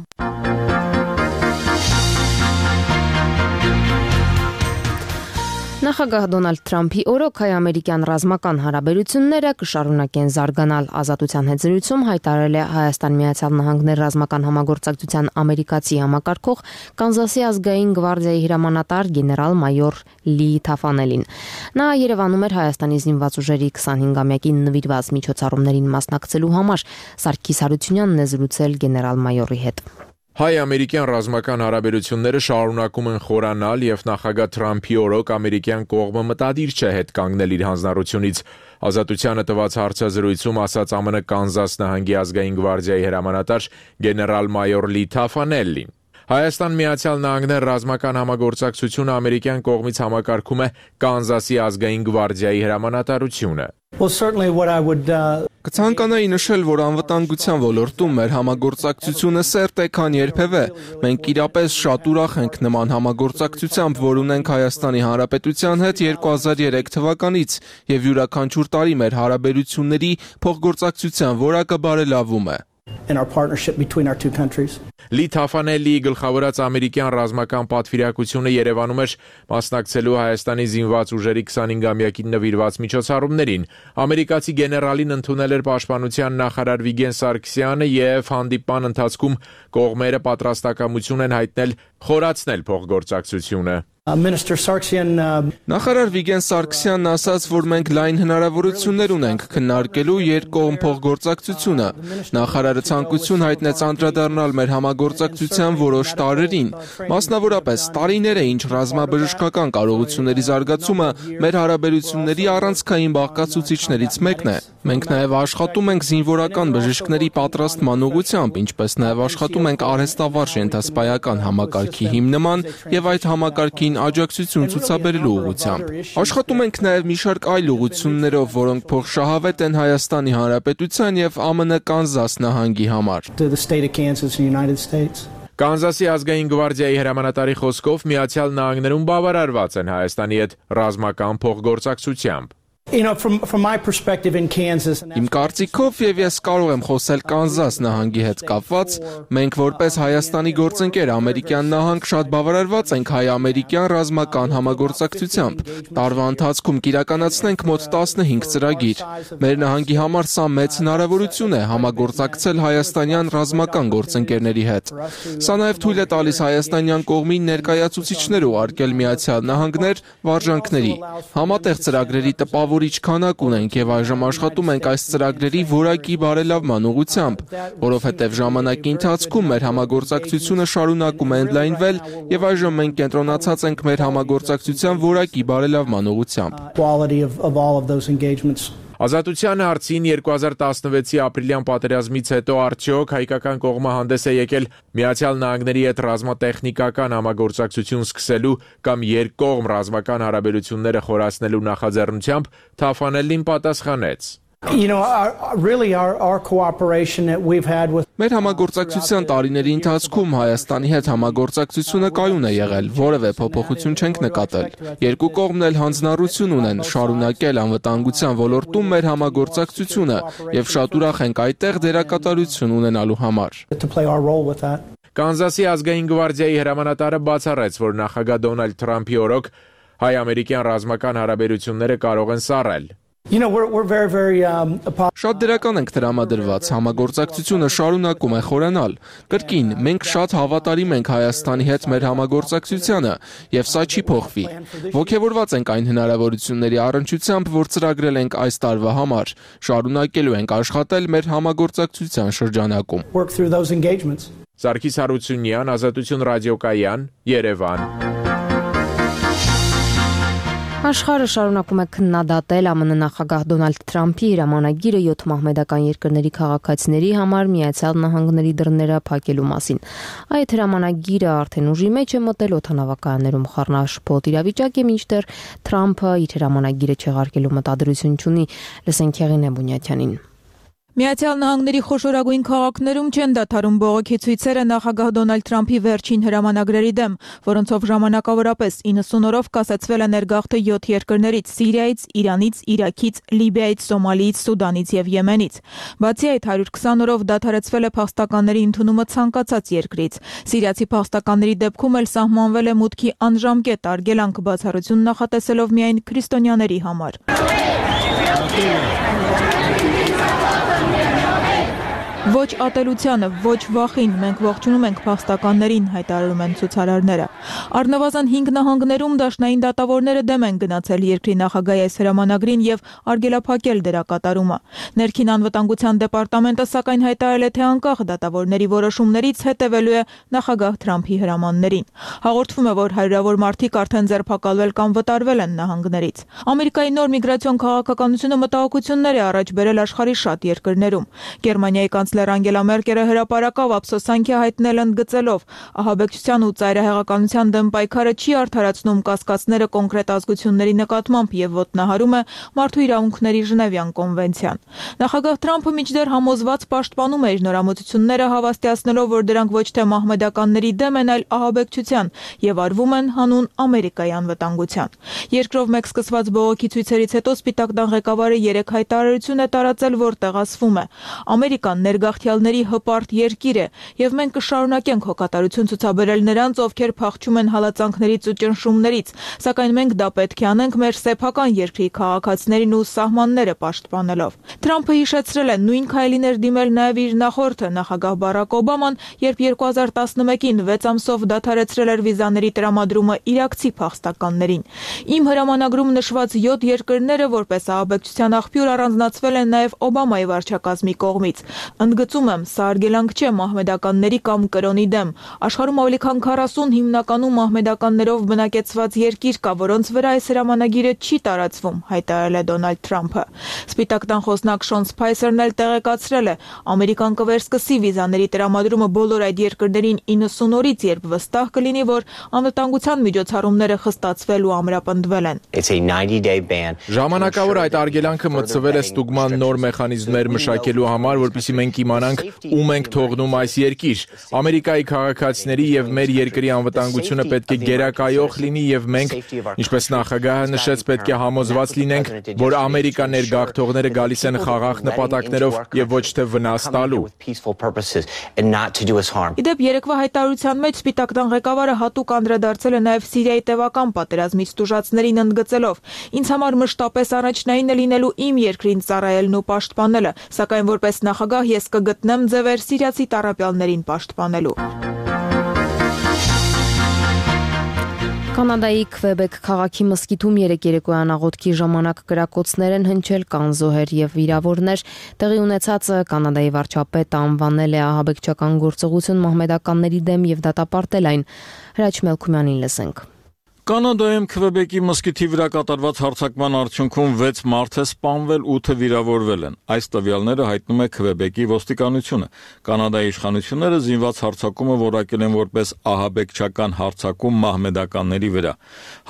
Նախագահ Դոնալդ Թրամփի օրոք հայ-ամերիկյան ռազմական հարաբերությունները կշարունակեն զարգանալ։ Ազատության հետ զրույցում հայտարարել է Հայաստան Միացյալ Նահանգներ ռազմական համագործակցության ամերիկացի համակարգող Կանզասի ազգային գվարդիայի հրամանատար գեներալ-մայոր Լի Թաֆանելին։ Նա Երևանում էր Հայաստանի զինված ուժերի 25-ամյակին նվիրված միջոցառումներին մասնակցելու համար։ Սարգիս Հարությունյանն է զրուցել գեներալ-մայորի հետ։ Հայ-ամերիկյան ռազմական հարաբերությունները շարունակում են խորանալ եւ նախագահ Թրամփի օրոք ամերիկյան կողմը մտադիր չէ հետ կանգնել իր հանձնառությունից։ Ազատությանը տված հարցազրույցում ասաց ԱՄՆ Կանզաս նահանգի ազգային գվարդիայի հրամանատար գեներալ-մայոր Լի Թաֆանելին։ Հայաստան Միացյալ Նահանգներ ռազմական համագործակցությունը ամերիկյան կողմից համակարգում է Կանզասի ազգային գվարդիայի հրամանատարությունը։ Կցանկանայի նշել, որ անվտանգության ոլորտում մեր համագործակցությունը սերտ է, քան երբևէ։ Մենք իրապես շատ ուրախ ենք նման համագործակցությամբ, որ ունենք Հայաստանի Հանրապետության հետ 2003 թվականից, եւ յուրաքանչյուր տարի մեր հարաբերությունների փոխգործակցության որակը բարելավում է։ Լի Թաֆանելիի գլխավորած ամերիկյան ռազմական պատվիրակությունը Երևանում էր մասնակցելու Հայաստանի զինված ուժերի 25-ամյակին նվիրված միջոցառումներին։ Ամերիկացի գեներալին ընդունել էր պաշտպանության նախարար Վիգեն Սարգսյանը եւ հանդիպման ընթացքում կողմերը պատրաստակամություն են հայտնել խորացնել փոխգործակցությունը։ Նախարար Վիգեն Սարգսյանն ասաց, որ մենք լայն հնարավորություններ ունենք քննարկելու երկկողմ փոխգործակցությունը։ Նախարարը ցանկություն հայտնեց անդրադառնալ մեր համագործակցության որոշ տարրերին, մասնավորապես տարիներ է ինչ ռազմաբժշկական կարողությունների զարգացումը մեր հարաբերությունների առանցքային բաղկացուցիչներից մեկն է։ Մենք նաև աշխատում ենք զինվորական բժիշկների պատրաստման ուղղությամբ, ինչպես նաև աշխատում ենք արհեստավարժ ենթասպայական համակարգի հիմնման եւ այդ համակարգին աջակցություն ցուցաբերելու ուղղությամբ։ Աշխատում ենք նաև մի շարք այլ ուղղություններով, որոնք փոխշահավետ են Հայաստանի Հանրապետության եւ ԱՄՆ Կանզաս նահանգի համար։ Կանզասի ազգային գվարդիայի հրամանատարի խոսքով Միացյալ Նահանգներում բավարարված են Հայաստանի հետ ռազմական փոխգործակցությամբ։ Իմ կարծիքով եւ ես կարող եմ խոսել Կանզաս նահանգի հետ կապված, մենք որպես Հայաստանի գործընկեր ամերիկյան նահանգ շատ բավարարված ենք հայ-ամերիկյան ռազմական համագործակցությամբ։ Տարվա ընթացքում կիրականացնենք մոտ 15 ծրագիր։ Մեր նահանգի համար սա մեծ հնարավորություն է համագործակցել հայաստանյան ռազմական գործընկերների հետ։ Սա նաև թույլ է տալիս հայաստանյան կողմին ներկայացուցիչներ ուղարկել Միացյալ Նահանգներ վարժանքների։ Համատեղ ծրագրերի տպավորիչ քանակ ունենք եւ այժմ աշխատում ենք այս ծրագրերի որակի բարելավման ուղղությամբ, որովհետեւ ժամանակի ընթացքում մեր համագործակցությունը շարունակում է ընդլայնվել եւ այժմ մենք կենտրոնացած ենք մեր համագործակցության որակի բարելավման ուղղությամբ։ Ազատության հարցին 2016-ի ապրիլյան պատերազմից հետո արդյոք հայկական կողմը հանդես է եկել Միացյալ Նահանգների հետ ռազմատեխնիկական համագործակցություն սկսելու կամ երկկողմ ռազմական հարաբերությունները խորացնելու նախաձեռնությամբ, Թաֆանելին պատասխանեց. Մեր համագործակցության տարիների ընթացքում Հայաստանի հետ համագործակցությունը կայուն է եղել, որևէ փոփոխություն չենք նկատել։ Երկու կողմն էլ հանձնառություն ունեն շարունակել անվտանգության ոլորտում մեր համագործակցությունը եւ շատ ուրախ ենք այդտեղ դերակատարություն ունենալու համար։ Կանզասի ազգային գվարդիայի հրամանատարը բացառեց, որ նախագահ Դոնալդ Թրամփի օրոք հայ-ամերիկյան ռազմական հարաբերությունները կարող են սառել։ Շատ դրական ենք տրամադրված, համագործակցությունը շարունակում է խորանալ։ Կրկին, մենք շատ հավատարիմ ենք Հայաստանի հետ մեր համագործակցությանը, եւ սա չի փոխվի։ Ոգևորված ենք այն հնարավորությունների առնչությամբ, որ ծրագրել ենք այս տարվա համար։ Շարունակելու ենք աշխատել մեր համագործակցության շրջանակում։ Սարգիս Հարությունյան, Ազատություն ռադիոկայան, Երևան։ Աշխարհը շարունակում է քննադատել ԱՄՆ նախագահ Դոնալդ Թրամփի հրամանագիրը 7 մահմեդական երկրների քաղաքացիների համար Միացյալ Նահանգների դռները փակելու մասին։ Այդ հրամանագիրը արդեն ուժի մեջ է մտել օդանավակայաններում խառնաշփոթ իրավիճակ է, մինչդեռ Թրամփը իր հրամանագիրը չեղարկելու մտադրություն չունի։ Լսենք Եղինե Բունյաթյանին։ Միացյալ Նահանգների խոշորագույն քաղաքներում չեն դադարում բողոքի ցույցերը նախագահ Դոնալդ Թրամփի վերջին հրամանագրերի դեմ, որոնցով ժամանակավորապես 90 օրով կասեցվել է ներգաղթը 7 երկրներից՝ Սիրիայից, Իրանից, Իրաքից, Լիբիայից, Սոմալիից, Սուդանից եւ Եմենից։ Բացի այդ 120 օրով դադարեցվել է փախստականների ընդունումը ցանկացած երկրից։ Սիրիացի փախստականների դեպքում էլ սահմանվել է մուտքի անժամկետ արգելանք, բացառություն նախատեսելով միայն քրիստոնյաների համար։ Ոչ ատելությանը, ոչ վախին, մենք ողջունում ենք փախստականներին, հայտարարում են ցուցարարները։ Առնվազն 5 նահանգներում դաշնային դատավորները դեմ են գնացել երկրի նախագահի այս հրամանագրին եւ արգելափակել դրա կատարումը։ Ներքին անվտանգության դեպարտամենտը սակայն հայտարարել է, թե անկախ դատավորների որոշումներից հետևելու է նախագահ Թրամփի հրամաններին։ Հաղորդվում է, որ հարյուրավոր մարդիկ արդեն ձերբակալվել կամ վտարվել են նահանգներից։ Ամերիկայի նոր միգրացիոն քաղաքականությունը մտահոգություններ է առաջ բերել աշխարհի շատ երկրներում։ Գերմանիայի կանցլեր Անգելա Մերկելը հրապարակավ ափսոսանքի հայտնել ընդգծելով ահաբեկչության ու ծայրահեղականության դեմ պայքարը չի արդարացնում կասկածները կոնկրետ ազգությունների նկատմամբ եւ ոտնահարում է մարդու իրավունքների Ժնևյան կոնվենցիան։ Նախագահ Թրամփը մինչդեռ համոզված պաշտպանում է իր նորամուծությունները, հավաստիացնելով, որ դրանք ոչ թե մահմեդականների դեմ են, այլ ահաբեկչության եւ արվում են հանուն Ամերիկայի անվտանգության։ Երկրով մեկ սկսված բողոքի ցույցերից հետո Սպիտակ տան ղեկավարը 3 հայտարարություն է տարածել, որտեղ ասվում է. Ամերիկան ներգաղթյալների հպարտ երկիր է եւ մենք կշարունակենք հոգատարություն ցուցաբերել նրանց, ովքեր փախչում են հալածանքներից ու ճնշումներից, սակայն մենք դա պետք է անենք մեր սեփական երկրի քաղաքացիներին ու սահմանները պաշտպանելով։ Թրամփը հիշեցրել է նույն քայլին էր դիմել նաեւ իր նախորդը նախագահ Բարակ Օբաման, երբ 2011-ին 6 ամսով դադարեցրել էր վիզաների տրամադրումը իրաքցի փախստականներին։ Իմ հրամանագրում նշված 7 երկրները որպես ահաբեկչության աղբյուր առանձնացվել են նաեւ Օբամայի վարչակազմի կողմից։ Ընդգծում եմ, սա արգելանք չէ մահմեդականների կամ կրոնի դեմ։ Աշխարհում ավելի քան 40 հիմնականում մահմեդականներով բնակեցված երկիր կա, որոնց վրա այս հրամանագիրը չի տարածվում, հայտարարել է Դոնալդ Թրամփը։ Սպիտակ տան խոսնակ Շոն Սփայսերն էլ տեղեկացրել է, Ամերիկան կվերսկսի վիզաների տրամադրումը բոլոր այդ երկրներին 90 օրից, երբ վստահ կլինի, որ անվտանգության միջոցառումները խստացվել ու ամրապնդվել են։ Ժամանակավոր այդ արգելանքը մտցվել է ստուգման նոր մեխանիզմներ մշակելու համար, որպեսզի մենք իմանանք ում ենք թողնում այս երկիր։ Ամերիկայի քաղաքացիների եւ մեր երկրի անվտանգությունը պետք է գերակայող լինի եւ մենք, ինչպես նախագահը նշեց, պետք է համոզված լինենք, որ Ամերիկա ներգաղթողները գալիս են խաղաղ նպատակներով եւ ոչ թե վնաս տալու։ Իդեպ երեկվա հայտարարության մեջ Սպիտակ տան ղեկավարը հատուկ անդրադարձել է նաեւ Սիրիայի տևական պատերազմից տուժածներին ընդգծելով. Ինձ համար մշտապես առաջնային է լինելու իմ երկրին ծառայելն ու պաշտպանելը, սակայն որպես նախագահ ես կգտնեմ ձևեր սիրիացի տառապյալներին պաշտպանելու։ Կանադայի Քվեբեկ քաղաքի մզկիթում երեկոյան աղոթքի ժամանակ կրակոցներ են հնչել, կան զոհեր եւ վիրավորներ։ Տեղի ունեցածը Կանադայի վարչապետը անվանել է ահաբեկչական գործողություն մահմեդականների դեմ եւ դատապարտել այն։ Հրաչ Մելքումյանին լսենք։ Կանադայում Քվեբեկի մզկիթի վրա կատարված հարձակման արդյունքում 6 մարդ է սպանվել, 8-ը վիրավորվել են։ Այս տվյալները հայտնում է Քվեբեկի ոստիկանությունը։ Կանադայի իշխանությունները զինված հարձակումը որակել են որպես ահաբեկչական հարձակում մահմեդականների վրա։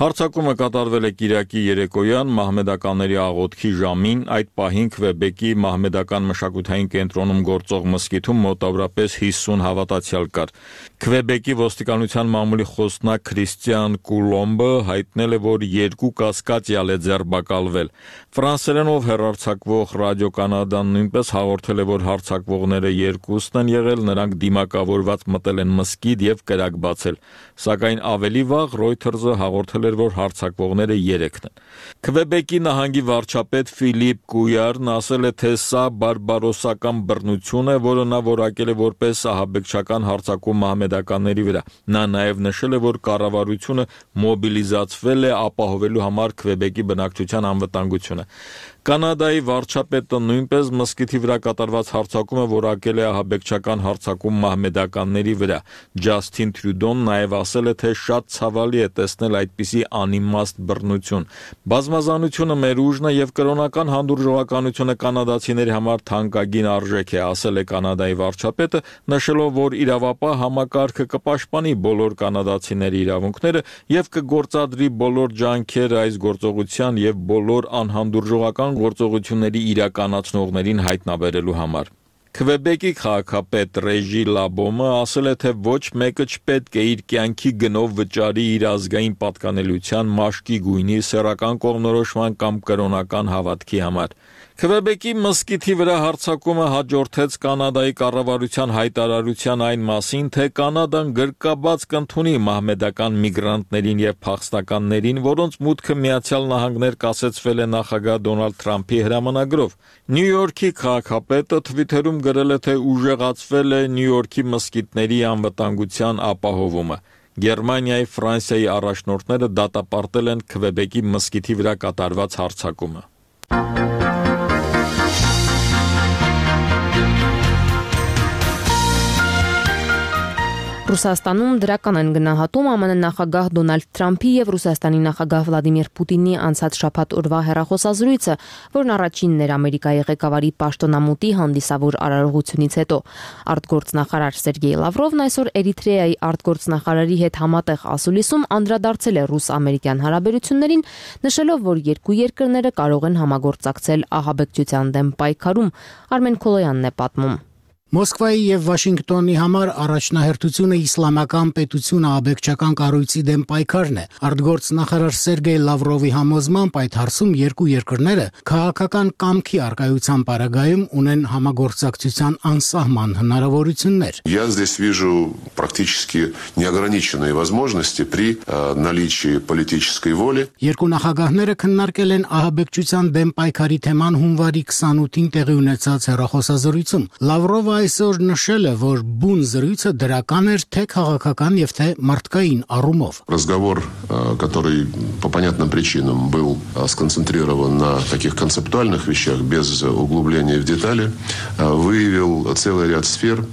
Հարձակումը կատարվել է կիրակի երեկոյան մահմեդականների աղոթքի ժամին, այդ պահին Քվեբեկի մահմեդական մշակութային կենտրոնում գործող մզկիթում մոտավորապես 50 հավատացյալ կար։ Քվեբեկի ոստիկանության մամուլի խոսնակ Քրիստիան Կուլոմբը հայտնել է, որ 2 կասկածյալ է ձերբակալվել։ Ֆրանսերենով հեռարձակվող Ռադիո Կանադան նույնպես հաղորդել է, որ հարձակվողները 2-ն են եղել, նրանք դիմակավորված մտել են մզկիթ եւ կրակ բացել։ Սակայն ավելի վաղ Reuters-ը հաղորդել էր, որ հարձակվողները 3-ն են։ Քվեբեկի նահանգի վարչապետ Ֆիլիպ Կույարն ասել է, թե սա բարբարոսական բռնություն է, որը նա որակել է որպես ահաբեկչական հարձակում մահմեդականների վրա։ Նա նաև նշել է, որ կառավարությունը մոբիլիզացվել է ապահովելու համար Քվեբեկի բնակչության անվտանգությունը։ Կանադայի վարչապետը նույնպես մզկիթի վրա կատարված հարձակումը որակել է ահաբեկչական հարձակում մահմեդականների վրա։ Ջասթին Տրյուդոն նաև ասել է, թե շատ ցավալի է տեսնել այդպիսի անիմաստ բռնություն։ Բազմազանությունը մեր ուժն է եւ կրոնական հանդուրժողականությունը կանադացիների համար թանկագին արժեք է, ասել է Կանադայի վարչապետը, նշելով, որ իրավապահ համակարգը կպաշտպանի բոլոր կանադացիների իրավունքները եւ կգործադրի բոլոր ջանքերը այս գործողության եւ բոլոր անհանդուրժողական գործողությունների իրականացնողներին հայտնաբերելու համար։ Քվեբեկի քաղաքապետ Ռեժի Լաբոմը ասել է, թե ոչ մեկը չպետք է իր կյանքի գնով վճարի իր ազգային պատկանելիության, մաշկի գույնի, սեռական կողմնորոշման կամ կրոնական հավատքի համար։ Քվեբեկի մզկիթի վրա հարձակումը հաջորդեց Կանադայի կառավարության հայտարարության այն մասին, թե Կանադան գրկաբաց կընդունի մահմեդական միգրանտներին եւ փախստականներին, որոնց մուտքը Միացյալ Նահանգներ կասեցվել է նախագահ Դոնալդ Թրամփի հրամանագրով։ Նյու Յորքի քաղաքապետը Թվիթերում գրել է, թե ուժեղացվել է Նյու Յորքի մզկիթների անվտանգության ապահովումը։ Գերմանիայի, Ֆրանսիայի առաջնորդները դատապարտել են Քվեբեկի մզկիթի վրա կատարված հարձակումը։ Ռուսաստանում դրական են գնահատում ԱՄՆ նախագահ Դոնալդ Թրամփի եւ Ռուսաստանի նախագահ Վլադիմիր Պուտինի անցած շաբաթ օրվա հեռախոսազրույցը, որն առաջինն էր Ամերիկայի ղեկավարի պաշտոնամուտի հանդիսավոր արարողությունից հետո։ Արտգործնախարար Սերգեյ Լավրովն այսօր Էրիթրեայի արտգործնախարարի հետ համատեղ ասուլիսում անդրադարձել է ռուս-ամերիկյան հարաբերություններին, նշելով, որ երկու երկրները կարող են համագործակցել ահաբեկչության դեմ պայքարում։ Արմեն Քոլոյանն է պատմում։ Մոսկվայի եւ Վաշինգտոնի համար առաջնահերթությունը իսլամական պետություն ահաբեկչական կառույցի դեմ պայքարն է։ Արտգործնախարար Սերգեյ Լավրովի համոզմամբ այդ հարցում երկու երկրները քաղաքական կամքի արկայության պարագայում ունեն համագործակցության անսահման հնարավորություններ։ Я здесь вижу практически неограниченные возможности при наличии политической воли. Երկու նախագահները քննարկել են ահաբեկչության դեմ պայքարի թեման հունվարի 28-ին տեղի ունեցած հեռախոսազրույցում։ Լավրովը այսօր նշել է, որ բուն զրույցը դրական էր թե քաղաքական եւ թե մարդկային առումով։ Разговор, который по понятным причинам был сконцентрирован на таких концептуальных вещах без углубления в детали, выявил целый ряд сфер,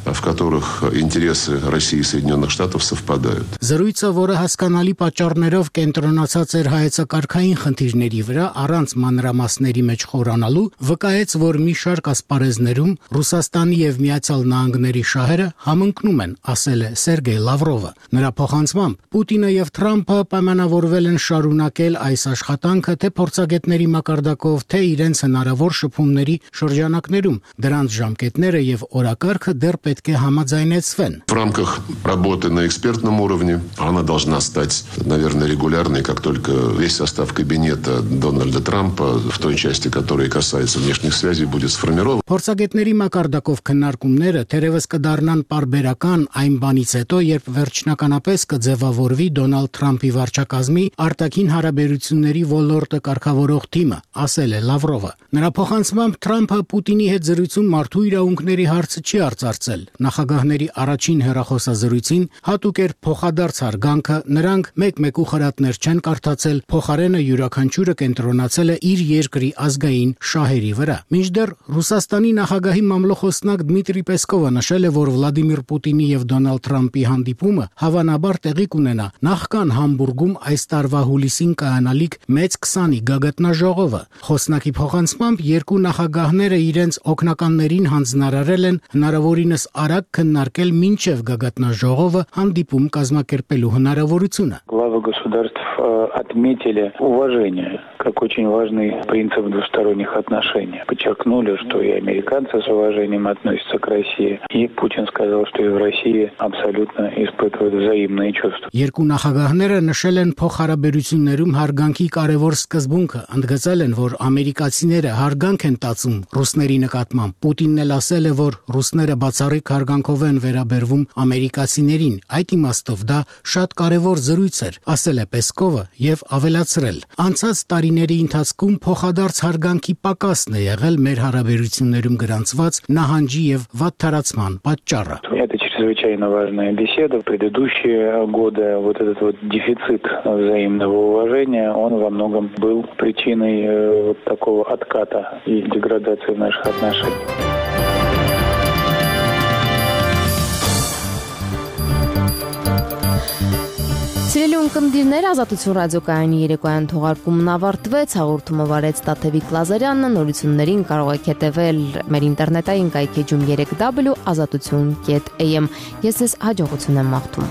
в которых интересы России и Соединенных Штатов совпадают. Զրույցը, որը հասկանալի պատճառներով կենտրոնացած էր հայեցակարգային խնդիրների վրա, առանց մանրամասների մեջ խորանալու, վկայեց, որ մի շարք ասպարեզներում Ռուսաստանի եւ Միացյալ Նահանգների շահերը համընկնում են, ասել է Սերգեյ Լավրովը։ Նրա փոխանցմամբ Պուտինը եւ Թրամփը պայմանավորվել են շարունակել այս աշխատանքը թե փորձագետների մակարդակով, թե իրենց հնարավոր շփումների շրջանակներում։ Դրանց ժամկետները եւ օրակարգը դեռ պետք է համաձայնեցվեն։ В рамках работы на экспертном уровне она должна стать, наверное, регулярной, как только весь состав кабинета Дональда Трампа, в той части, которая касается внешних связей, будет сформирован. Փորձագետների մակարդակով քննարկումները թերևս կդառնան պարբերական այն բանից հետո, երբ վերջնականապես կձևավորվի Դոնալդ Թրամփի վարչակազմի արտաքին հարաբերությունների ոլորտը կարգավորող թիմը, ասել է Լավրովը։ Նրա փոխանցմամբ Թրամփը Պուտինի հետ զրույցում մարդու իրավունքների հարցը չի արծարծել։ ընդգծել նախագահների առաջին հեռախոսազրույցին հատուկ էր փոխադարձ հարգանքը, նրանք մեկ-մեկու խրատներ չեն կարդացել, փոխարենը յուրաքանչյուրը կենտրոնացել է իր երկրի ազգային շահերի վրա։ Մինչդեռ Ռուսաստանի նախագահի մամլոխոսնակ Դմիտրի Պեսկովը նշել է, որ Վլադիմիր Պուտինի եւ Դոնալդ Թրամփի հանդիպումը հավանաբար տեղի կունենա նախքան Համբուրգում այս տարվա հուլիսին կայանալիք մեծ 20-ի գագաթնաժողովը։ Խոսնակի փոխանցմամբ երկու նախագահները իրենց օգնականներին հանձնարարել են հնարավորինս արագ քննարկել մինչև գագաթնաժողովը հանդիպում կազմակերպելու հնարավորությունը։ Главы государств отметили уважение как очень важный принцип двусторонних отношений. Подчеркнули, что и американцы с уважением относятся к России, и Путин сказал, что и в России абсолютно испытывают взаимные чувства. Երկու նախագահները նշել են փոխհարաբերություններում հարգանքի կարևոր սկզբունքը, ընդգծել են, որ ամերիկացիները հարգանք են տածում ռուսների նկատմամբ։ Պուտինն էլ ասել է, որ ռուսները բացառիկ հարգանքով են վերաբերվում ամերիկացիներին։ Այդ իմաստով դա շատ կարևոր զրույց էր, ասել է Պեսկովը եւ ավելացրել. Անցած տարիների ընթացքում փոխադարձ հարգանքի պակասն է եղել մեր հարաբերություններում գրանցված նահանջի եւ վատթարացման պատճառը։ Это чрезвычайно важная беседа. В предыдущие годы вот этот вот дефицит взаимного уважения, он во многом был причиной вот такого отката и деградации наших отношений. Սիրելի ունկնդիրներ, Ազատություն ռադիոկայանի երեկոյան թողարկումն ավարտվեց, հաղորդումը վարեց Տաթևիկ Լազարյանը, նորություններին կարող եք հետևել մեր ինտերնետային կայքեջում 3w.azatutun.am։ Ես ձեզ հաջողություն եմ մաղթում։